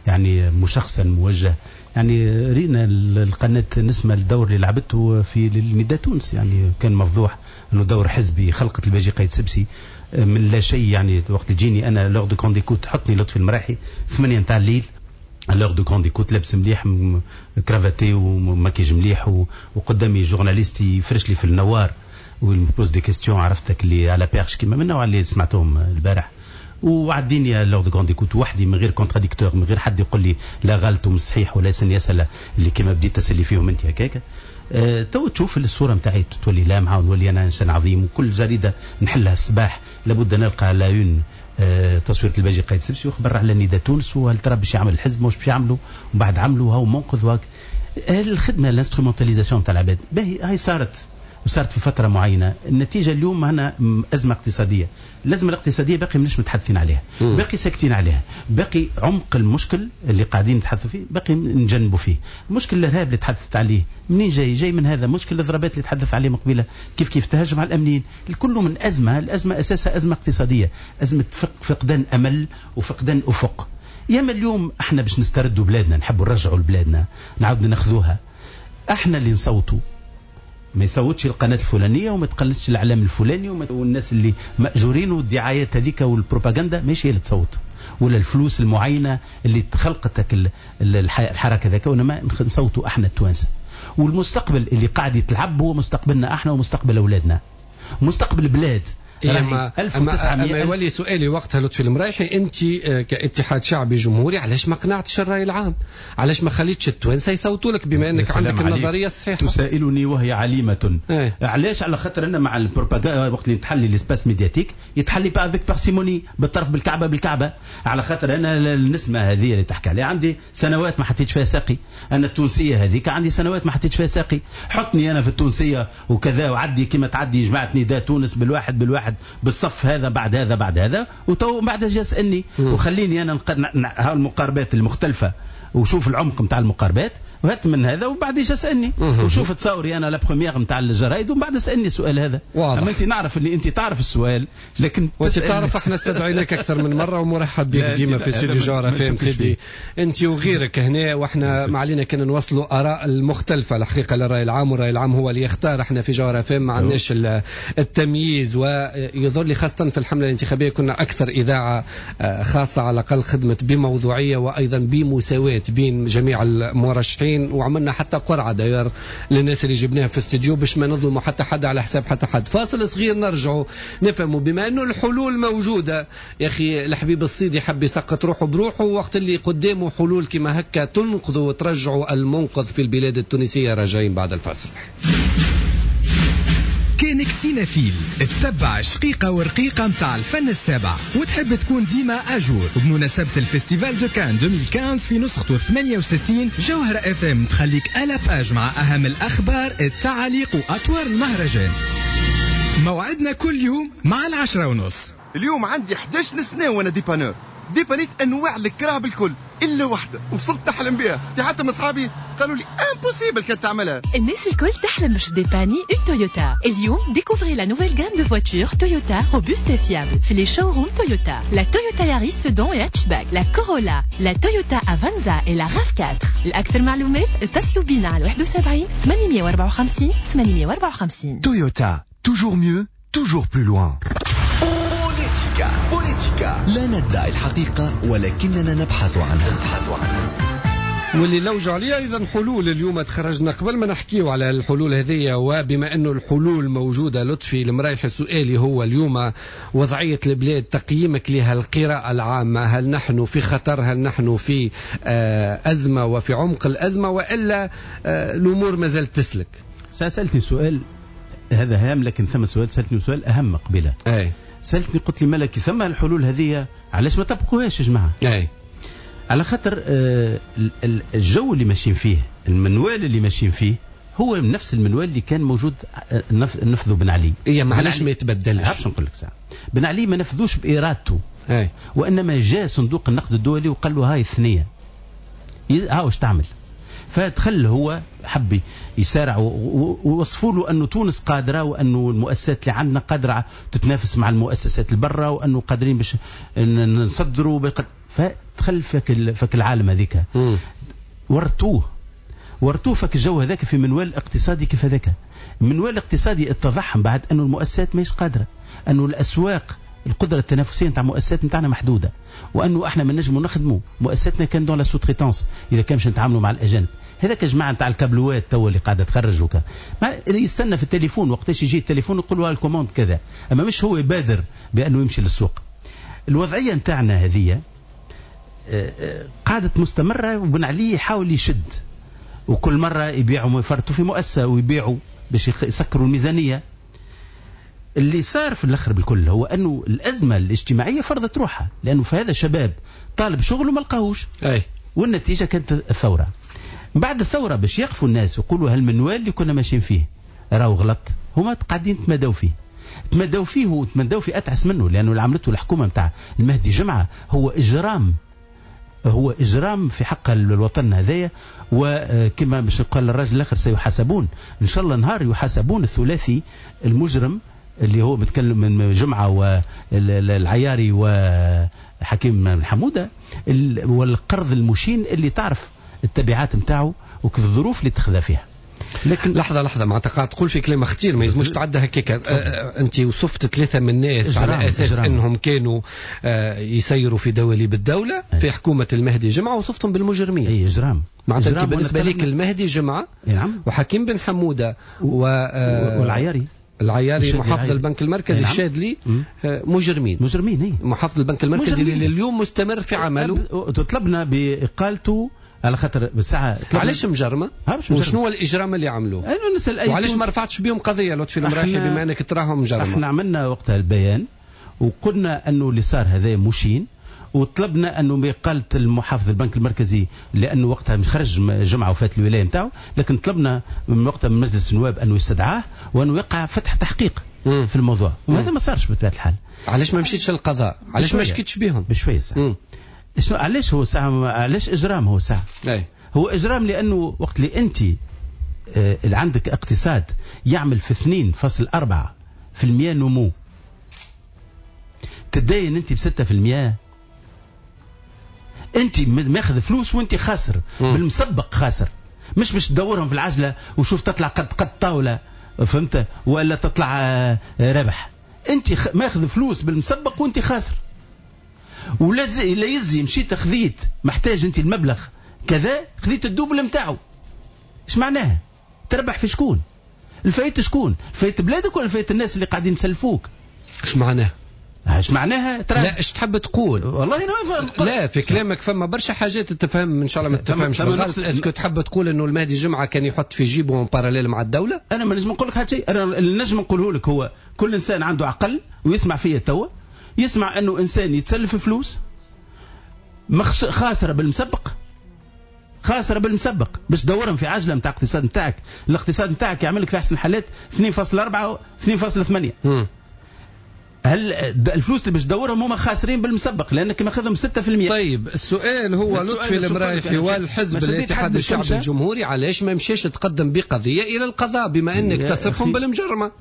يعني مشخصا موجه. يعني رينا القناة نسمة الدور اللي لعبته في النداء تونس، يعني كان مفضوح انه دور حزبي، خلقت الباجي قايد سبسي من لا شيء. يعني وقت تجيني انا l'heure de grande écoute تحطني لطفي المراحي ثمانية نتاع الليل l'heure de grande écoute، لابس مليح cravaté وماكيج مليح، وقدامي journaliste يفرش لي في النوار وي pose des questions، عرفتك اللي à la perche كيما من النوع اللي سمعتهم البارح. وعديني l'heure de grande écoute وحدي من غير contradicteur، من غير حد يقول لي لا غلط ومش صحيح ولا يسالني اسئلة اللي كما بديت تسالي فيهم انت هكاك. أه تو تشوف الصورة نتاعي تولي لامعة ونولي انا انسان عظيم، وكل جريدة نحلها الصباح لابد نلقى la une أه تصويره الباجي قايد سبسي وخبر على نداء تونس، وهل ترى باش يعمل الحزب مش باش يعملوا، ومن بعد عملوا هاو منقذ وهاك الخدمة l'instrumentalisation تاع العباد. باهي هاي صارت وصارت في فترة معينة، النتيجة اليوم هنا ازمة اقتصادية، الازمة الاقتصادية باقي ماناش متحدثين عليها، باقي ساكتين عليها، باقي عمق المشكل اللي قاعدين نتحدثوا فيه باقي نجنبوا فيه. مشكل الارهاب اللي تحدثت عليه منين جاي؟ جاي من هذا. مشكل الضربات اللي تحدث عليه من قبيلة كيف كيف تهجم على الامنيين، الكل من ازمة، الازمة اساسها ازمة اقتصادية، ازمة فقدان امل وفقدان افق. ياما اليوم احنا باش نستردوا بلادنا، نحبوا نرجعوا لبلادنا، نعاود ناخذوها، احنا اللي نصوتوا، ما يصوتش القناة الفلانية وما تقلدش الإعلام الفلاني والناس اللي مأجورين والدعايات هذيك والبروباغندا ماشي هي اللي تصوت، ولا الفلوس المعينة اللي تخلقت الحركة ذاك، وإنما نصوتوا احنا التوانسة. والمستقبل اللي قاعد يتلعب هو مستقبلنا احنا ومستقبل أولادنا، مستقبل البلاد. أما, أما يولي سؤالي وقتها لطفي المرايحي، أنت كاتحاد شعبي جمهوري علاش ما قنعتش الرأي العام؟ علاش ما خليتش التوانسة يصوتوا لك بما أنك عندك النظرية الصحيحة؟ تسائلني وهي عليمة. ايه؟ علاش؟ على خاطر أنا مع البروباغندا وقت اللي نتحلي l'espace médiatique يتحلي pas avec parcimonie، بالطرف بالكعبة بالكعبة، على خاطر أنا النسمة هذه اللي تحكي عليها عندي سنوات ما حطيتش فيها ساقي، أنا التونسية هذيك عندي سنوات ما حطيتش فيها ساقي، حطني أنا في التونسية وكذا وعدي كما تعدي جماعة نداء تونس بالواحد بالواحد بالصف هذا بعد هذا بعد هذا، وتو بعد جا يسالني وخليني انا نق... المقاربات المختلفة وشوف العمق نتاع المقاربات وهات من هذا، وبعد يجي يسالني وشوف تصوري انا la première نتاع الجرايد ومن بعد اسالني السؤال هذا. واضح. اما انت نعرف اللي انت تعرف السؤال، لكن وانت تعرف احنا استدعيناك اكثر من مرة ومرحب بك ديما في استوديو جوهرة فام سيدي، انت وغيرك هنا، واحنا ما علينا كان نوصلوا اراء المختلفة الحقيقة للراي العام، والراي العام هو اللي يختار. احنا في جوهرة فام ما عندناش التمييز، ويظهر لي خاصة في الحملة الانتخابية كنا اكثر اذاعة خاصة على الاقل خدمت بموضوعية وايضا بمساواه بين جميع المرشحين، وعملنا حتى قرعة داير للناس اللي جبناها في استوديو باش ما نظلموا حتى حد على حساب حتى حد. فاصل صغير نرجعوا نفهموا بما انه الحلول موجودة. يا اخي الحبيب الصيدي حب يسقط روحه بروحه وقت اللي قدامه حلول كما هكا تنقذوا وترجعوا المنقذ في البلاد التونسية. راجعين بعد الفاصل. كانك cinéphile تتبع شقيقة ورقيقة متاع الفن السابع وتحب تكون ديما à jour، وبمناسبة ال festival de Cannes ألفين وخمسة عشر في نسخته ثمانية وستين جوهرة اف ام تخليك à la page مع أهم الأخبار، التعاليق وأطوار المهرجان. موعدنا كل يوم مع العشرة ونص. اليوم عندي إحدى عشرة سنة وأنا dépanneur، ديبانيت أنواع الكراب الكل إلا واحدة وصلت نحلم بها، حتى من أصحابي قالوا لي impossible كانت تعملها. الناس الكل تحلم باش dépanner une Toyota. اليوم découvrez la nouvelle gamme de voitures Toyota robuste et fiable في les showrooms Toyota. La Toyota Yaris Sedan et hatchback, la Corolla, la Toyota Avanza et la راف أربعة. لأكثر معلومات اتصلوا بينا على واحد وسبعين ثمانمية وأربعة وخمسين ثمانمية وأربعة وخمسين. Toyota, toujours mieux, toujours plus loin. بوليتيكا بوليتيكا لا ندعي الحقيقة ولكننا نبحث عنها. نبحث عنها. واللي لوجوا عليه ايضا حلول. اليوم تخرجنا قبل ما نحكيو على الحلول هذه، وبما انه الحلول موجودة لطفي المرايح سؤالي هو اليوم وضعية البلاد تقييمك لها القراءة العامة، هل نحن في خطر؟ هل نحن في ازمة وفي عمق الازمة، والا الامور ما زالت تسلك؟ سالتني سؤال هذا هام، لكن ثم سؤال سالتني سؤال اهم قبيلة. اي سالتني قلت لي ملكي ثم الحلول هذه علاش ما طبقوهاش يا جماعة؟ اي على خاطر الجو اللي ماشيين فيه، المنوال اللي ماشيين فيه هو نفس المنوال اللي كان موجود نفذه بن علي. إيه ما علاش ما يتبدلش؟ عرفش نقول لك ساعة. بن علي ما نفذوش بإرادته. أي. وإنما جاء صندوق النقد الدولي وقال له هاي الثنية، ها واش تعمل. فدخل هو حب يسارع ووصفوا له أنه تونس قادرة، وأنه المؤسسات اللي عندنا قادرة تتنافس مع المؤسسات البرة، وأنه قادرين باش نصدروا. فدخل فك فك العالم هذيك، ورتوه ورتوه فك الجو هذاك في منوال اقتصادي كيف هذاك. المنوال الاقتصادي اتضح بعد أنه المؤسسات ماهيش قادرة، أنه الأسواق القدرة التنافسية نتاع المؤسسات نتاعنا محدودة، وأنه احنا ما نجموا نخدموا مؤسساتنا كان dans la sous-traitance إذا كان باش نتعاملوا مع الأجانب. هذاك يا جماعة نتاع الكابلوات تو اللي قاعدة تخرج وكا يستنى في التليفون وقتاش يجي التليفون يقول له ال commande كذا، أما مش هو يبادر بأنه يمشي للسوق. الوضعية نتاعنا هذه قعدت مستمرة، وبن علي يحاول يشد، وكل مرة يبيعوا يفرطوا في مؤسسة ويبيعوا باش يسكروا الميزانية. اللي صار في الاخر بالكل هو انه الازمة الاجتماعية فرضت روحها، لانه في هذا شباب طالب شغل وما لقاهوش. اي والنتيجة كانت الثورة. بعد الثورة باش يقفوا الناس ويقولوا هالمنوال اللي كنا ماشيين فيه راهو غلط، هما قاعدين تمادوا فيه، تمادوا فيه وتمادوا في اتعس منه، لانه اللي عملته الحكومة نتاع المهدي جمعه هو اجرام، هو اجرام في حق الوطن هذايا. وكما باش قال الراجل الاخر سيحاسبون، ان شاء الله نهار يحاسبون الثلاثي المجرم اللي هو متكلم من جمعه والعياري وحكيم الحموده، والقرض المشين اللي تعرف التبعات نتاعو وكيف الظروف اللي تخذى فيها. لكن لحظة لحظة معناتها قاعد تقول في كلام خطير ما يلزموش تعدى هكاك. انت وصفت ثلاثة من الناس على اساس إجرام. انهم كانوا يسيروا في دواليب الدولة في حكومة المهدي جمعه، وصفتهم بالمجرمين. اي اجرام. معناتها انت بالنسبة لك المهدي جمعه نعم. وحكيم بن حموده و... والعياري العياري محافظ البنك المركزي نعم. الشاذلي مجرمين. مجرمين اي محافظ البنك المركزي اللي اليوم مستمر في عمله. تطلبنا باقالته على خاطر بالساعة. علاش مجرمه؟ وشنو هو الاجرام اللي عملوه؟ نسأل أي وعلاش ما رفعتش بهم قضية لطفي المرايحي بما انك تراهم مجرمه؟ احنا عملنا وقتها البيان وقلنا انه اللي صار هذا مشين، وطلبنا انه باقالة المحافظ البنك المركزي لانه وقتها خرج جمعه وفات الولاية نتاعو، لكن طلبنا من وقتها من مجلس النواب انه يستدعاه وانه يقع فتح تحقيق مم. في الموضوع، وهذا ما صارش بطبيعة الحال. علاش ما مشيتش للقضاء؟ علاش ما شكيتش بهم؟ بشوية ساعة. شنو علاش هو ساعة؟ علاش اجرام هو ساعة؟ أي. هو اجرام لانه وقت اللي انت آه اللي عندك اقتصاد يعمل في اثنين فاصل أربعة في المية نمو، تداين انت ب ستة في المية، انت ماخذ فلوس وانت خاسر مم. بالمسبق خاسر، مش باش تدورهم في العجلة وشوف تطلع قد قد طاولة فهمت ولا تطلع ربح، انت ماخذ فلوس بالمسبق وانت خاسر. ولا لا يزي مشيت خذيت محتاج انت المبلغ كذا، خذيت ال double نتاعو. ايش معناها؟ تربح في شكون؟ الفايت شكون؟ الفايت بلادك ولا الفايت الناس اللي قاعدين يسلفوك؟ ايش معناها؟ ايش معناها؟ ترى لا ايش تحب تقول؟ والله انا ما لا في كلامك فما برشا حاجات تفهم ان شاء الله ما تفهمش بالغلط. est-ce que تحب تقول انه المهدي جمعه كان يحط في جيبه en parallèle مع الدولة؟ انا ما نجم نقول لك هذا الشيء، انا اللي نجم نقوله لك هو كل انسان عنده عقل ويسمع فيا توا، يسمع انه انسان يتسلف فلوس خاسرة بالمسبق، خاسرة بالمسبق باش تدورهم في عجله نتاع الاقتصاد نتاعك، الاقتصاد نتاعك يعمل لك في احسن الحالات اثنين فاصل أربعة اثنين فاصل ثمانية. هل الفلوس اللي باش تدورهم هما خاسرين بالمسبق لانك ماخذهم ستة في المية. طيب السؤال هو لطفي المرايحي والحزب الاتحاد الشعبي الجمهوري علاش ما مشاش تقدم بقضيه الى القضاء بما انك تصفهم بالمجرمه؟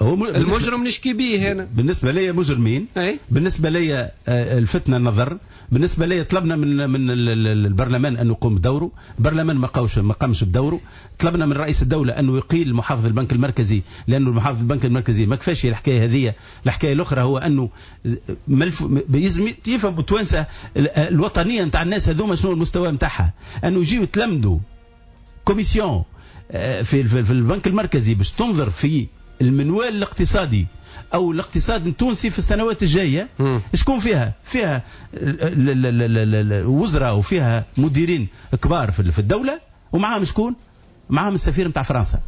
هو المجرم نشكي به هنا. بالنسبة لي مجرمين. أي؟ بالنسبة لي الفتنة النظر، بالنسبة لي طلبنا من من البرلمان انه يقوم بدوره، البرلمان ما قاوش ما قامش بدوره، طلبنا من رئيس الدولة انه يقيل محافظ البنك المركزي لانه المحافظ البنك المركزي ما كفاش الحكاية هذه. الحكاية الاخرى هو انه ملف يلزم يفهموا التوانسة الوطنية نتاع الناس هذوما شنو المستوى نتاعها، انه يجيو يتلمدوا commission في في البنك المركزي باش تنظر في المنوال الاقتصادي او الاقتصاد التونسي في السنوات الجاية. شكون فيها؟ فيها وزراء وفيها مديرين كبار في الدولة، ومعاهم شكون؟ معاهم السفير نتاع فرنسا.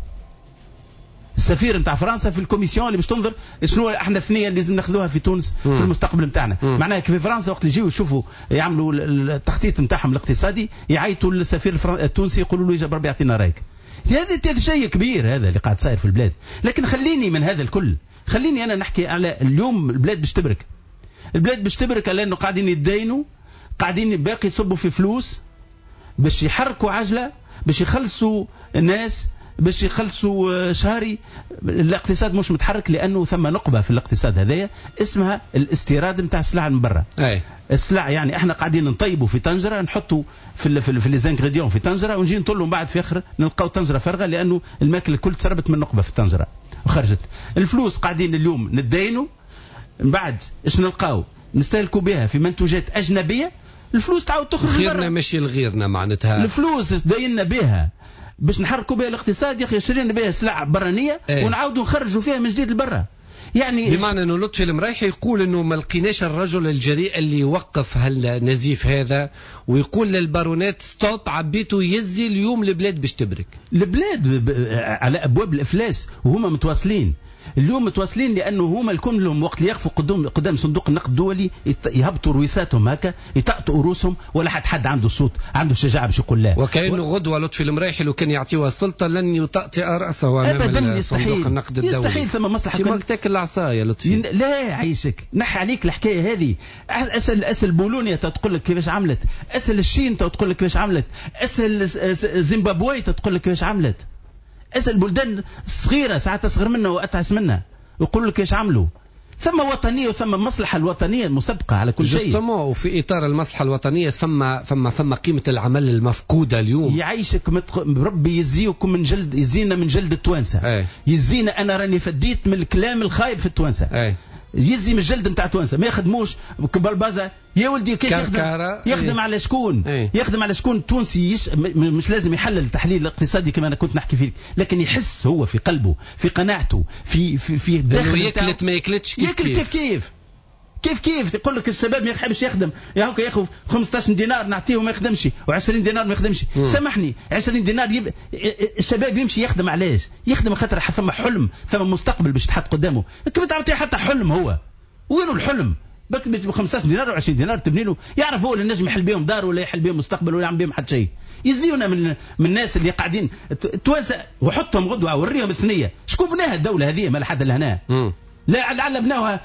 السفير نتاع فرنسا في ال commission اللي باش تنظر شنو احنا الثنية اللي لازم ناخذوها في تونس في المستقبل نتاعنا. معناها كيف فرنسا وقت اللي يجيو يشوفوا يعملوا التخطيط نتاعهم الاقتصادي يعيطوا للسفير التونسي يقولوا له يا ربي يعطينا رايك. هذا شيء كبير هذا اللي قاعد صاير في البلاد. لكن خليني من هذا الكل، خليني انا نحكي على اليوم البلاد باش تبرك. البلاد باش تبرك لانه قاعدين يتداينوا، قاعدين باقي يصبوا في فلوس باش يحركوا عجله، باش يخلصوا الناس، باش يخلصوا شهري. الاقتصاد مش متحرك لانه ثم نقبه في الاقتصاد هذايا اسمها الاستيراد نتاع السلع من برا. السلع يعني احنا قاعدين نطيبوا في طنجره، نحطوا في ال في, في les ingrédients في طنجره ونجي نطلوا من بعد في اخر نلقاو طنجره فارغة لانه الماكلة الكل تسربت من نقبه في الطنجره وخرجت. الفلوس قاعدين اليوم نتداينوا، من بعد اش نلقاو؟ نستهلكوا بها في منتوجات اجنبية، الفلوس تعاود تخرج لبرا. غيرنا ماشي لغيرنا معناتها. الفلوس تدايننا بها باش نحركوا بها الاقتصاد يا اخي، شرينا بها سلع برانيه. ايه؟ ونعاودوا نخرجوا فيها من جديد لبرا. يعني بمعنى انه لطفي المرايحي يقول انه ما لقيناش الرجل الجريء اللي يوقف هالنزيف هذا ويقول للبارونات stop، عبيته يزي اليوم البلاد باش تبرك. البلاد على ابواب الافلاس وهما متواصلين اليوم، متواصلين لانه هما الكل لهم وقت اللي يقفوا قدام قدام صندوق النقد الدولي يهبطوا رويساتهم هكا، يطأطئوا رؤوسهم، ولا حد حد عنده الصوت، عنده الشجاعة باش يقول لا. وكأنه غدوه لطفي المرايحي لو كان يعطيوها السلطة لن يطأطئ راسه امام صندوق النقد الدولي. يستحيل. ثم مصلحة كان تاكل العصا يا لطفي. لا عايشك، نحي عليك الحكاية هذه. اسال اسال بولونيا تقول لك كيفاش عملت، اسال الشين تقول لك كيفاش عملت، اسال زيمبابوي تقول لك كيفاش عملت، اسال بلدان صغيرة ساعات اصغر منا واتعس منا ويقول لك ايش عملوا. ثم وطنية وثم مصلحة الوطنية المسبقة على كل شيء. justement، وفي اطار المصلحة الوطنية ثم ثم ثم قيمة العمل المفقودة اليوم. يعيشك متق... ربي يزيكم من جلد، يزينا من جلد التوانسة. يزينا، انا راني فديت من الكلام الخايب في التوانسة. أي. يزي من الجلد نتاع توانسة، ما يخدموش بالبازا يا ولدي. كيش يخدم؟ يخدم ايه. على شكون؟ ايه. يخدم على شكون؟ التونسي يش... مش لازم يحلل التحليل الاقتصادي كما انا كنت نحكي فيه، لكن يحس هو في قلبه، في قناعته، في في في الداخل ياكلت ما ياكلتش كيف كيف كيف كيف كيف كيف يقول لك الشباب ما يحبش يخدم، يا هوكا ياخذ خمسطاش دينار نعطيه ما يخدمش، وعشرين دينار ما يخدمش. سامحني، عشرين دينار يب... الشباب يمشي يخدم علاش؟ يخدم خاطر ثم حلم، ثم مستقبل باش تحط قدامه. كيف تعطيه حتى حلم هو؟ وينو الحلم؟ بك ب خمسطاش دينار وعشرين دينار تبني له، يعرف هو اللي نجم يحل بهم دار ولا يحل بهم مستقبل ولا يعمل بهم حتى شيء. يزيونا من من الناس اللي قاعدين التوانسة، وحطهم غدوه وريهم الثنية، شكون بناها الدولة هذه؟ ما لحد لهنا. لا لعل بناوها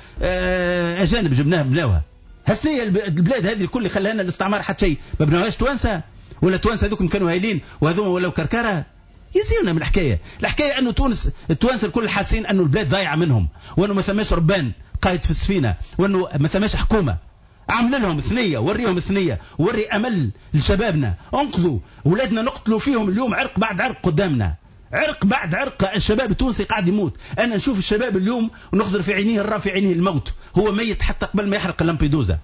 اجانب جبناها بناوها. هالثنيه البلاد هذه الكل خلاها لنا الاستعمار حتى شيء، ما بناوهاش توانسة، ولا توانسة هذوك كانوا هايلين وهذوما ولاو كركره. يزيونا من الحكاية، الحكاية انه تونس التوانسة الكل حاسين انه البلاد ضايعة منهم، وانه ما ثماش ربان قايد في السفينة، وانه ما ثماش حكومة. عمل لهم ثنيه، وريهم ثنيه، وري امل لشبابنا، انقذوا ولادنا، نقتلوا فيهم اليوم عرق بعد عرق قدامنا، عرق بعد عرق. الشباب التونسي قاعد يموت. انا نشوف الشباب اليوم ونخزر في عينيه، نرى في عينيه الموت، هو ميت حتى قبل ما يحرق اللامبيدوزا.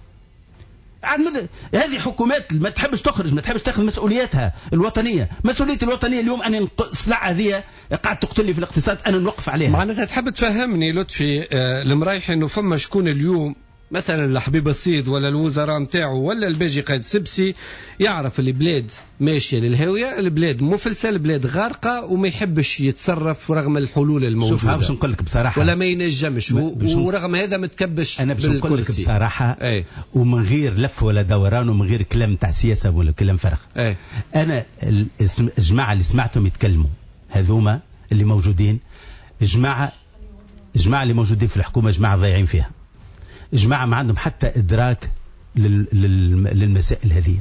هذه حكومات ما تحبش تخرج، ما تحبش تاخذ مسؤولياتها الوطنية. مسؤولية الوطنية اليوم انا السلعة هذه قاعد تقتل لي في الاقتصاد، انا نوقف عليها. معناتها تحب تفهمني لطفي المرايحي انه فما شكون اليوم مثلا الحبيب الصيد ولا الوزراء نتاعو ولا الباجي قائد سبسي يعرف البلاد ماشية للهاويه، البلاد مفلسه، البلاد غارقة، وما يحبش يتصرف رغم الحلول الموجودة. شوف باش نقول لك بصراحة، ولا ما ينجمش، ورغم هذا متكبش. انا باش نقول لك بصراحة، ايه؟ ومن غير لف ولا دوران ومن غير كلام تاع سياسة ولا كلام فرغ. ايه؟ انا الجماعة اللي سمعتهم يتكلموا هذوما اللي موجودين، جماعة جماعة اللي موجودين في الحكومة، جماعة ضايعين فيها، جماعة ما عندهم حتى إدراك لل... لل... للمسائل هذه.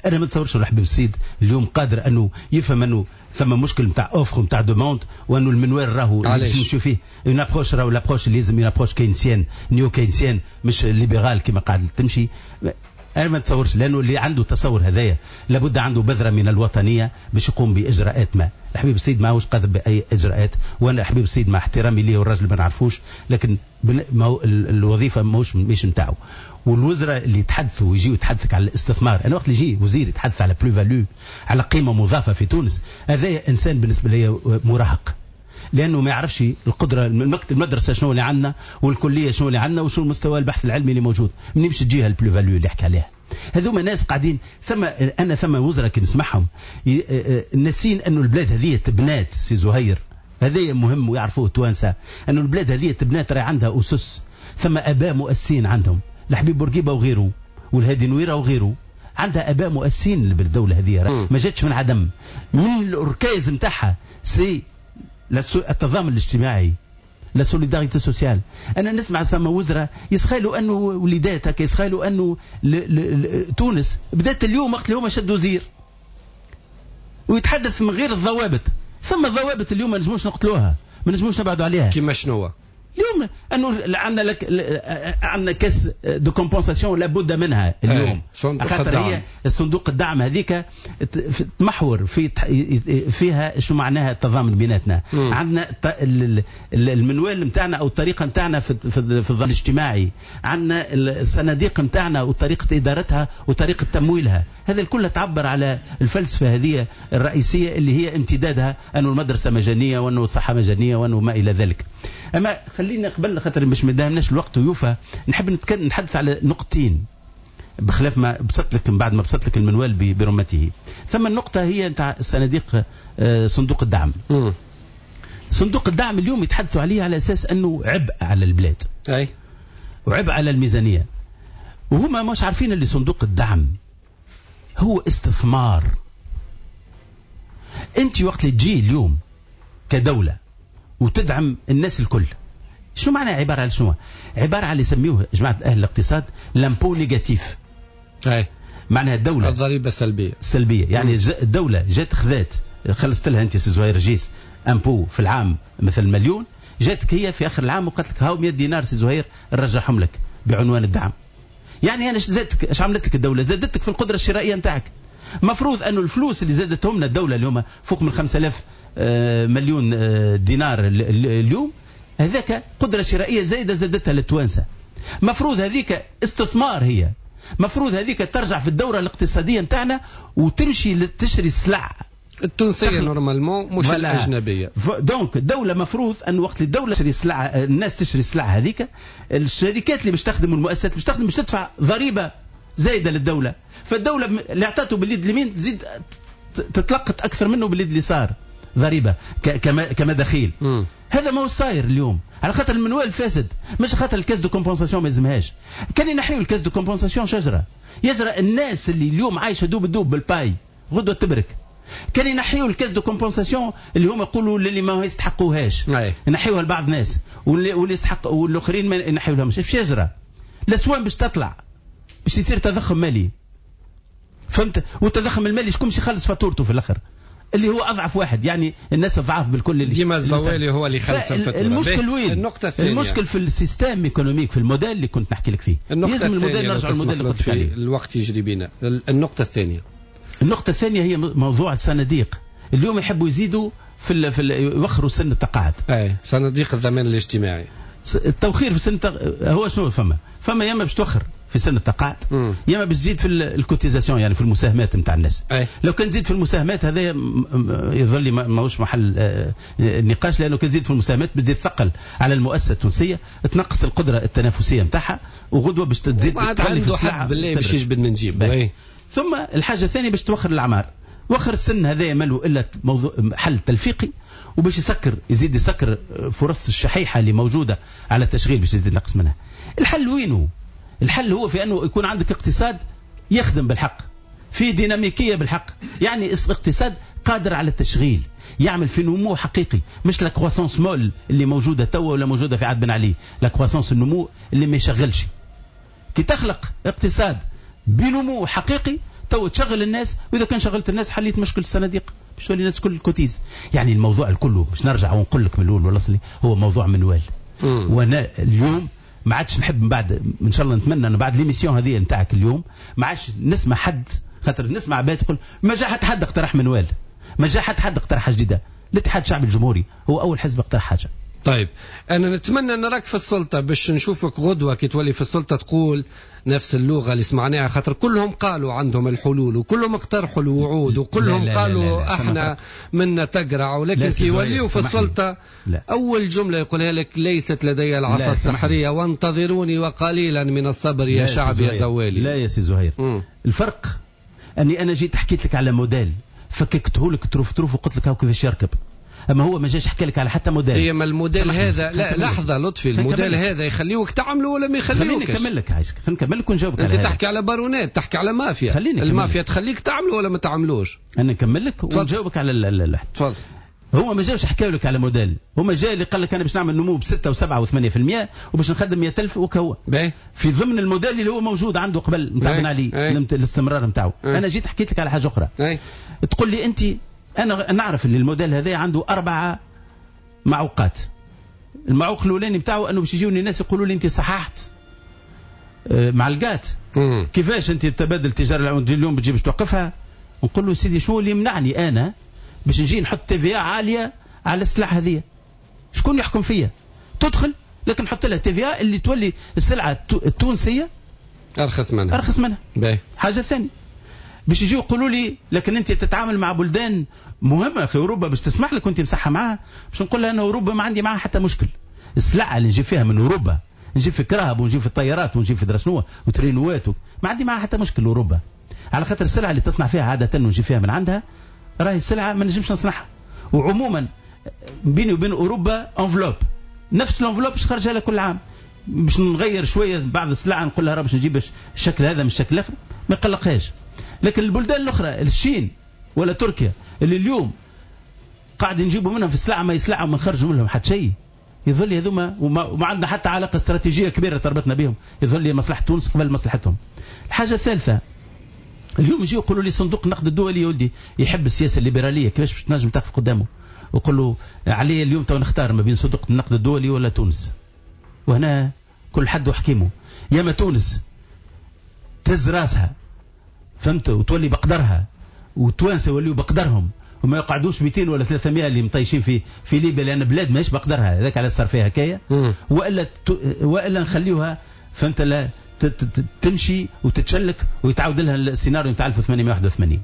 أنا ما نتصورش الحبيب السيد اليوم قادر أنه يفهم أنه ثم مشكل نتاع offre نتاع demande، وأنه المنوال راهو نمشيو فيه une approche، راهو l'approche اللي لازم une approche keynésienne، néo-keynésienne، مش libérale كما قاعد تمشي. أنا ما نتصورش، لأنه اللي عنده تصور هذايا لابد عنده بذرة من الوطنية باش يقوم بإجراءات ما. الحبيب السيد ماهوش قادر بأي إجراءات، وأنا الحبيب السيد مع احترامي ليه والراجل ما نعرفوش، لكن ما هو الوظيفة ماهوش مش نتاعو. والوزراء اللي يتحدثوا ويجيو يتحدثك على الاستثمار، أنا وقت اللي يجي وزير يتحدث على plus-value، على قيمة مضافة في تونس، هذا إنسان بالنسبة لي مراهق، لأنه ما يعرفش القدرة المكتب المدرسة شنو اللي عندنا، والكلية شنو اللي عندنا، وشنو المستوى البحث العلمي اللي موجود، منين باش تجيها ال plus-value اللي حكى عليها. هذوما ناس قاعدين ثم أنا ثم وزراء كي نسمعهم ناسين أنه البلاد هذه تبنات. سي زهير هذا مهم ويعرفوه التوانسة، أنه البلاد هذه تبنات، راهي عندها أسس، ثم آباء مؤسسين عندهم، الحبيب بورقيبة وغيره، والهادي نويرة وغيره، عندها آباء مؤسسين بالدولة هذه، ما جاتش من عدم. من الأركاز نتاعها c'est التضامن الاجتماعي، la solidarité sociale. انا نسمع سما وزراء يسخيلوا انه وليداتك، يسخيلوا انه تونس بدات اليوم وقت اللي هما شدوا وزير ويتحدث من غير الضوابط. ثم الضوابط اليوم ما نجموش نقتلوها، ما نجموش نبعدوا عليها. كيما شنو اليوم انه عندنا لك عندنا caisse de compensation لابد منها اليوم، خاطر هي صندوق الدعم هذيك تمحور في فيها شو معناها التضامن بيناتنا. عندنا المنوال نتاعنا او الطريقة نتاعنا في في الضمان الاجتماعي، عندنا الصناديق نتاعنا وطريقه ادارتها وطريقه تمويلها، هذا الكل تعبر على الفلسفة هذه الرئيسية اللي هي امتدادها انه المدرسة مجانية وانه الصحة مجانية وانه ما الى ذلك. اما خلينا قبل خاطر باش ما دامناش الوقت ويوفى، نحب نتحدث على نقطتين بخلاف ما بسط لك من بعد ما بسط لك المنوال برمته. ثم النقطة هي نتاع الصناديق، صندوق الدعم. م. صندوق الدعم اليوم يتحدثوا عليه على اساس انه عبء على البلاد. اي وعبء على الميزانية. وهما مش عارفين اللي صندوق الدعم هو استثمار. انت وقت اللي تجي اليوم كدولة وتدعم الناس الكل، شو معنى عبارة على شنو؟ عبارة على اللي يسميوه جماعة أهل الاقتصاد l'impôt négatif. أي معناها الدولة الضريبة السلبية. السلبية يعني الدولة جات خذات خلصت لها أنت سي زهير جيس impôt في العام مثل مليون، جاتك هي في آخر العام وقالت لك هاو مية دينار سي زهير نرجعهم لك بعنوان الدعم. يعني أنا زادتك، اش عملت لك الدولة؟ زادتك في القدرة الشرائية نتاعك. مفروض أنه الفلوس اللي زادتهم لنا الدولة اليوم فوق من خمسة آلاف مليون دينار اليوم، هذاك قدرة شرائية زايدة زادتها للتوانسة. مفروض هذيك استثمار، هي مفروض هذيك ترجع في الدورة الاقتصادية نتاعنا وتمشي تشري السلع التونسية normalement مش الأجنبية. donc الدولة مفروض أن وقت الدولة تشري السلع، الناس تشري السلع هذيك، الشركات اللي باش تخدم والمؤسسات باش تخدم باش تدفع ضريبة زايدة للدولة، فالدولة اللي اعطته باليد اليمين تزيد تتلقط أكثر منه باليد اليسار ضريبة كما كمداخيل. هذا ما هو صاير اليوم على خاطر المنوال فاسد، مش خاطر ال caisse de compensation ما يلزمهاش. كان ينحيوا ال caisse de compensation شجرة يجرى الناس اللي اليوم عايشه دوب دوب بال paye غدوه تبرك. كان ينحيوا ال caisse de compensation اللي هما يقولوا اللي ما يستحقوهاش، ينحيوها لبعض الناس واللي واللي يستحق والاخرين ما ينحيوا لهمش. ايش يجرى؟ الاسوان باش تطلع، باش يصير تضخم مالي، فهمت؟ والتضخم المالي شكون باش يخلص فاتورته في الاخر؟ اللي هو اضعف واحد، يعني الناس الضعاف بالكل اللي ديما الزوالي هو اللي يخلص الفاتورة. المشكل وين؟ النقطة الثانية، المشكل في ال système économique، في الموديل اللي كنت نحكي لك فيه. لازم الموديل نرجع للموديل اللي قلت فيه. الوقت يجري بينا. النقطة الثانية، النقطة الثانية هي موضوع الصناديق. اليوم يحبوا يزيدوا في ال في ال يوخروا سن التقاعد. اي صناديق الضمان الاجتماعي. التوخير في سن هو شنو فما؟ فما يا اما باش توخر في سن التقاعد، يا اما باش تزيد في ال cotisation، يعني في المساهمات نتاع الناس. أي. لو كان تزيد في المساهمات هذا يظل ماهوش محل نقاش، لانه كان تزيد في المساهمات باش تزيد ثقل على المؤسسة التونسية، تنقص القدرة التنافسية نتاعها، وغدوه باش تزيد تغلي في السلعة بالله باش يجبد من جيبه. ثم الحاجة الثانية باش توخر الاعمار، وخر السن هذا ماله الا موضوع حل تلفيقي، وباش يسكر يزيد يسكر فرص الشحيحه اللي موجودة على التشغيل باش يزيد ينقص منها. الحل وينه؟ الحل هو في انه يكون عندك اقتصاد يخدم بالحق، في ديناميكية بالحق، يعني اقتصاد قادر على التشغيل، يعمل في نمو حقيقي، مش la croissance molle اللي موجودة توا ولا موجودة في عهد بن علي، la croissance النمو اللي ما يشغلش. كي تخلق اقتصاد بنمو حقيقي تو تشغل الناس، واذا كان شغلت الناس حليت مشكل الصناديق باش تولي الناس كل cotise. يعني الموضوع الكل باش نرجع ونقول لك من الاول والاصلي هو موضوع منوال. وانا اليوم ما عادش نحب من بعد، ان شاء الله نتمنى انه بعد l'émission هذه نتاعك اليوم ما عادش نسمع حد، خاطر نسمع عباد تقول ما جا حد حد اقترح منوال، ما جا حد حد اقترح حاجة جديدة. الاتحاد الشعبي الجمهوري هو اول حزب اقترح حاجة. طيب انا نتمنى نراك في السلطة باش نشوفك غدوه كي تولي في السلطة تقول نفس اللغة اللي سمعناها، خاطر كلهم قالوا عندهم الحلول وكلهم اقترحوا الوعود وكلهم لا لا قالوا لا لا لا احنا منا تقرع، ولكن كي يوليوا في السلطة لا. اول جملة يقولها لك ليست لدي العصا السحريه وانتظروني وقليلا من الصبر يا شعب يا زوالي. لا يا سي زهير، م. الفرق اني انا جيت حكيت لك على موديل فككته لك طروف طروف وقلت لك هاو كيفاش يركب، اما هو ما جاش حكى لك على حتى موديل. هي ما الموديل هذا لا لحظة لطفي، الموديل هذا يخليوك تعمله ولا ما يخليوكش؟ خليني نكمل لك عايشك، خليني نكمل لك ونجاوبك. انت تحكي على بارونات، تحكي على مافيا، المافيا تخليك تعمله ولا ما تعملوش؟ انا نكمل لك ونجاوبك على اللحظة. تفضل. هو ما جاوش حكاو لك على موديل، هو جاي اللي قال لك انا باش نعمل نمو ب ستة وسبعة وثمانية بالمية وباش نخدم مية ألف وكهو في ضمن الموديل اللي هو موجود عنده قبل نتاع بن علي الاستمرار نتاعو. انا جيت حكيت لك على حاجة اخرى. اي. تقول لي انت انا نعرف ان الموديل هذا عنده اربعة معوقات. المعوق الاولاني نتاعو انه باش يجيوني الناس يقولوا لي انت صححت معلقات، كيفاش انت تبادل التجارة اليوم بتجي باش توقفها؟ نقول له سيدي شو اللي يمنعني انا باش نجي نحط TVA عالية على السلع هذه؟ شكون يحكم فيا؟ تدخل لكن نحط لها TVA اللي تولي السلعة التونسية ارخص منها، ارخص منها. باهي. حاجة ثانية باش يجيو يقولوا لي لكن انت تتعامل مع بلدان مهمة في اوروبا باش تسمح لك وانت مسحه معاها، باش نقول لها ان اوروبا ما عندي معاها حتى مشكل. السلعة اللي نجيب فيها من اوروبا، نجيب في كراهب ونجيب في الطيارات ونجيب في درشنوه وترينوات، ما عندي معها حتى مشكل اوروبا، على خاطر السلعة اللي تصنع فيها عادة ونجيب فيها من عندها راهي السلعة ما نجمش نصنعها. وعموما بيني وبين اوروبا enveloppe، نفس ال enveloppe باش خرجها لها كل عام، باش نغير شوية بعض السلعة نقول لها راه باش نجيب الشكل هذا من الشكل الاخر، ما يقلقهاش. لكن البلدان الاخرى الصين ولا تركيا اللي اليوم قاعد نجيبوا منهم في السلعة ما يسلعوا وما نخرجوا منهم حتى شيء، يظل هذوما وما, وما عندنا حتى علاقة استراتيجية كبيرة تربطنا بهم، يظل لي مصلحة تونس قبل مصلحتهم. الحاجة الثالثة اليوم يجيو يقولوا لي صندوق النقد الدولي يا ولدي يحب السياسة الليبرالية، كيفاش باش تنجم تقف قدامه وقول له علي اليوم تو نختار ما بين صندوق النقد الدولي ولا تونس؟ وهنا كل حد وحكيمه، يا ما تونس تهز راسها فهمت وتولي بقدرها، وتوانسه يوليو بقدرهم وما يقعدوش مئتين ولا ثلاثمائة اللي مطيشين في في ليبيا، لان بلاد ماهيش بقدرها، هذاك على صار فيها هكايا، والا والا نخليوها فهمت لا تمشي وتتشلك ويتعاود لها السيناريو نتاع ألف وثمانمائة وواحد وثمانين.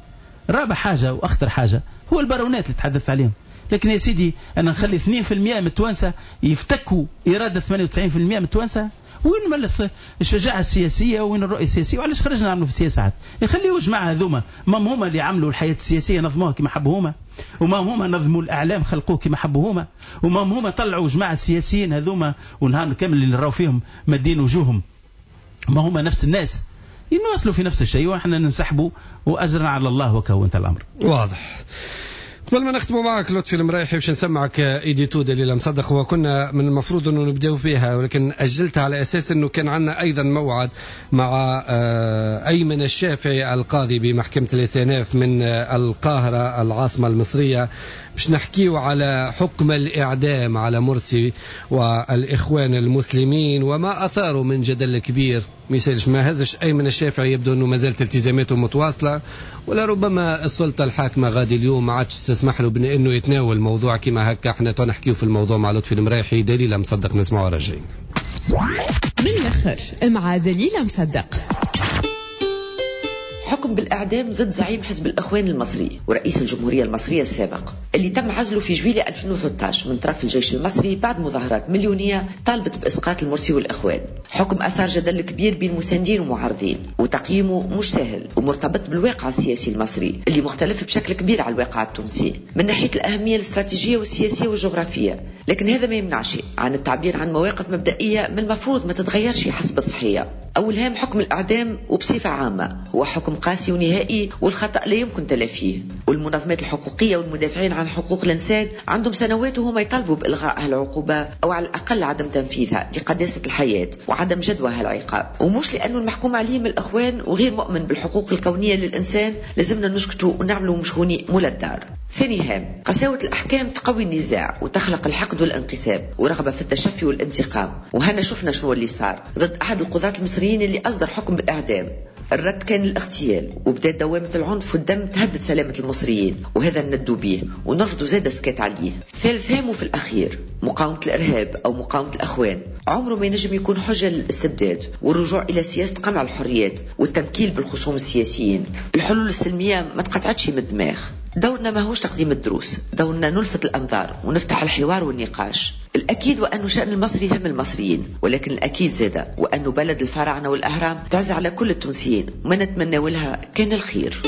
رابع حاجة واخطر حاجة هو البارونات اللي تحدثت عليهم. لكن يا سيدي انا نخلي اثنين بالمئة من التوانسة يفتكوا اراده ثمانية وتسعين بالمئة من التوانسة، وين ملا الشجاعة السياسية وين الرؤية السياسية؟ وعلاش خرجنا نعملوا في السياسة عاد؟ يخليوا جماعة هذوما ما هما اللي عملوا الحياة السياسية نظموها كما حبوا هما، وما هما نظموا الاعلام خلقوه كما حبوا هما، وما هما طلعوا جماعة السياسيين هذوما ونهار كامل اللي نراو فيهم مدين وجوههم، ما هما نفس الناس ينواصلوا في نفس الشيء، واحنا ننسحبوا واجرنا على الله وكهو. انت الامر واضح. قبل ما نختموا معك لطفي المرايحي باش نسمعك édito دليلة مصدق، وكنا من المفروض انه نبداو فيها ولكن اجلتها على اساس انه كان عندنا ايضا موعد مع ايمن الشافعي القاضي بمحكمه الاستئناف من القاهرة العاصمة المصرية باش نحكيو على حكم الاعدام على مرسي والاخوان المسلمين وما اثاروا من جدل كبير. ما يسالش ما هزش ايمن الشافعي، يبدو انه ما زالت التزاماته متواصلة، ولا ربما السلطة الحاكمة غادي اليوم ما عادش تسمح له بانه يتناول موضوع كما هكا. احنا نحكيو في الموضوع مع لطفي المرايحي. دليلة مصدق نسمعوا راجعين من الاخر مع دليلة مصدق. حكم بالإعدام ضد زعيم حزب الإخوان المصري ورئيس الجمهورية المصرية السابق اللي تم عزله في جويلية ألفين وثلاثة عشر من طرف الجيش المصري بعد مظاهرات مليونية طالبت بإسقاط المرسي والإخوان. حكم أثار جدل كبير بين مساندين ومعارضين، وتقييمه مش سهل ومرتبط بالواقع السياسي المصري اللي مختلف بشكل كبير على الواقع التونسي من ناحية الأهمية الاستراتيجية والسياسية والجغرافية، لكن هذا ما يمنعش عن التعبير عن مواقف مبدئية من المفروض ما تتغيرش حسب الضحية. أولها حكم الإعدام وبصفة عامة هو حكم قاسي ونهائي والخطأ لا يمكن تلافيه، والمنظمات الحقوقية والمدافعين عن حقوق الإنسان عندهم سنوات وهم يطالبوا بإلغاء هالعقوبة أو على الأقل عدم تنفيذها لقداسة الحياة وعدم جدوى هالعقاب. ومش لأنه المحكوم عليه من الأخوان وغير مؤمن بالحقوق الكونية للإنسان لازمنا نسكتوا ونعملوا مشهوني مول الدار. ثاني هام، قساوة الأحكام تقوي النزاع وتخلق الحقد والانقسام ورغبة في التشفي والانتقام، وهنا شفنا شنو اللي صار ضد أحد القضاة المصريين اللي أصدر حكم بالإعدام. الرد كان الاغتيال وبدأت دوامة العنف والدم تهدد سلامة المصريين، وهذا ندوا به ونرفضوا زاد سكات عليه. ثالث هام وفي الأخير، مقاومة الإرهاب أو مقاومة الأخوان عمره ما ينجم يكون حجة للاستبداد والرجوع إلى سياسة قمع الحريات والتنكيل بالخصوم السياسيين. الحلول السلمية ما تقطعتش من الدماغ. دورنا ما هوش تقديم الدروس، دورنا نلفت الأنظار ونفتح الحوار والنقاش. الأكيد وأن شأن المصري هم المصريين، ولكن الأكيد زادة وأن بلد الفراعنة والأهرام تعز على كل التونسيين وما نتمنى لها كان الخير.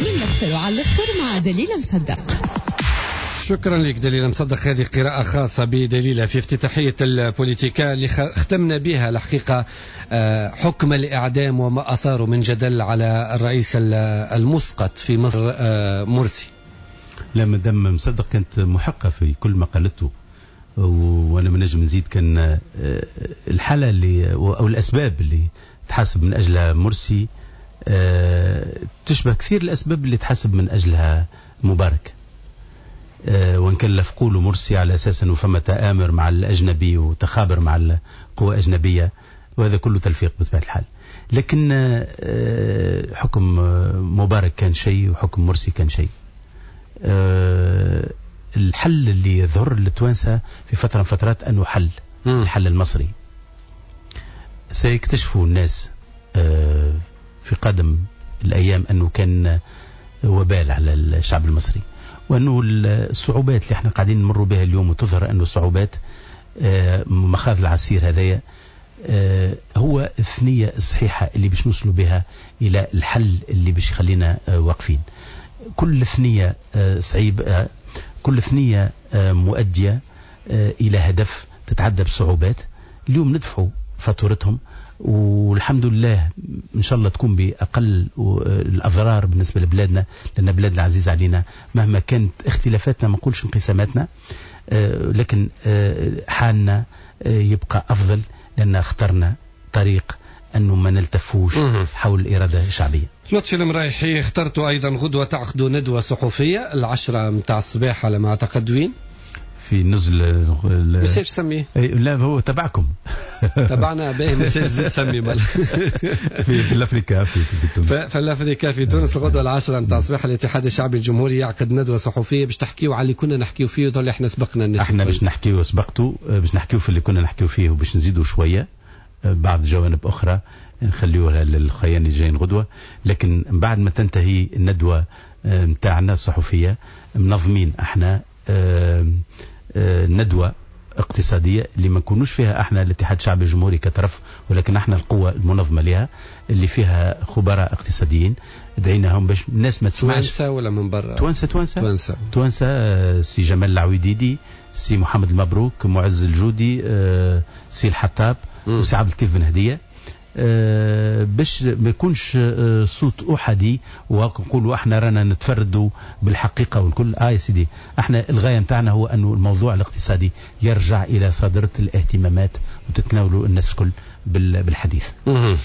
من الأخر على الأخر مع دليلة مصدق. شكرا لك دليلة مصدق. هذه قراءة خاصة بدليلة في افتتاحية البوليتيكا اللي ختمنا بها الحقيقة حكم الإعدام وما أثاره من جدل على الرئيس المسقط في مصر مرسي. لا مدام مصدق كانت محقة في كل ما قالته، وأنا ما نجم نزيد. كان الحالة اللي أو الأسباب اللي تحاسب من أجلها مرسي تشبه كثير الأسباب اللي تحاسب من أجلها مبارك، وإن كان لفقوا له مرسي على أساس أنه فما تآمر مع الأجنبي وتخابر مع القوى الأجنبية، وهذا كله تلفيق بطبيعة الحال. لكن حكم مبارك كان شيء وحكم مرسي كان شيء. الحل اللي يظهر للتوانسة في فترة من فترات أنه حل الحل المصري سيكتشفوا الناس في قادم الأيام أنه كان وبال على الشعب المصري، وأنه الصعوبات اللي احنا قاعدين نمر بها اليوم وتظهر أنه صعوبات مخاض العسير هذايا هو الثنية الصحيحة اللي باش نوصلوا بها إلى الحل اللي باش يخلينا واقفين. كل ثنية صعيب، كل ثنية مؤدية إلى هدف تتعدى بصعوبات. اليوم ندفعوا فاتورتهم، والحمد لله إن شاء الله تكون بأقل الأضرار بالنسبة لبلادنا، لأن بلادنا عزيزة علينا مهما كانت اختلافاتنا، ما نقولش انقساماتنا، لكن حالنا يبقى أفضل لأن اخترنا طريق أنه ما نلتفوش حول الإرادة الشعبية. لطفي المرايحي، اخترتوا أيضا غدوة تعقدوا ندوة صحفية العشرة متاع الصباح على ما أعتقد، وين؟ في نزل مساج سميه. لا هو تبعكم. تبعنا باهي، مساج زيد سمي بل. في في الافريكا في, في تونس. في الافريكا في تونس الغدوه العاشرة نتاع الصباح الاتحاد الشعبي الجمهوري يعقد ندوه صحفية باش تحكيو على اللي كنا نحكيو فيه وطول احنا سبقنا الناس. احنا باش نحكيو سبقتوا، باش نحكيو في اللي كنا نحكيو فيه وباش نزيدوا شوية بعض جوانب اخرى نخليوها للخيان الجايين غدوه. لكن بعد ما تنتهي الندوة نتاعنا الصحفية منظمين احنا ندوة اقتصادية اللي ما نكونوش فيها احنا الاتحاد الشعبي الجمهوري كطرف، ولكن احنا القوة المنظمة لها اللي فيها خبراء اقتصاديين دعيناهم باش الناس ما تسمعش. توانسة ولا من برا؟ توانسة توانسة توانسة توانسة، سي جمال العويديدي، سي محمد المبروك، معز الجودي، سي الحطاب، وسي عبد اللطيف بن هدية، باش ما يكونش صوت احادي ونقولوا احنا رانا نتفردوا بالحقيقة والكل. اه يا سيدي، احنا الغاية نتاعنا هو انه الموضوع الاقتصادي يرجع الى صدره الاهتمامات وتتناولوا الناس الكل بالحديث.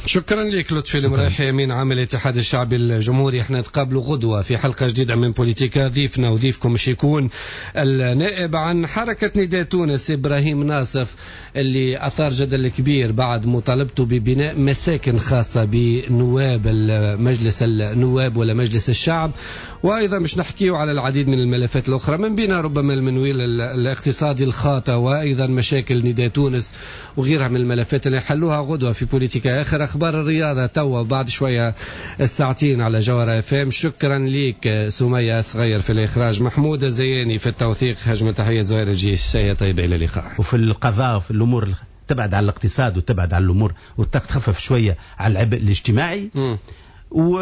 شكرا لك لطفي المرايحي، امين عام الاتحاد الشعبي الجمهوري. احنا نتقابلوا غدوه في حلقة جديدة من بوليتيكا. ضيفنا وضيفكم مش يكون النائب عن حركة نداء تونس ابراهيم ناصف، اللي اثار جدل كبير بعد مطالبته ببناء مساكن خاصة بنواب مجلس النواب ولا مجلس الشعب. وايضا مش نحكيو على العديد من الملفات الاخرى من بينها ربما المنويل الاقتصادي الخاطئ، وايضا مشاكل نداء تونس وغيرها من الملفات اللي حلوها غدوة في بوليتيكا. آخر أخبار الرياضة توا بعد شوية الساعتين على جوهرة اف ام. شكرا ليك سمية صغير في الإخراج، محمود الزياني في التوثيق، هجمة تحية زهير الجيش. شيء طيب، إلى اللقاء. وفي القضاء وفي الأمور تبعد على الاقتصاد وتبعد على الأمور وتخفف شوية على العبء الاجتماعي و...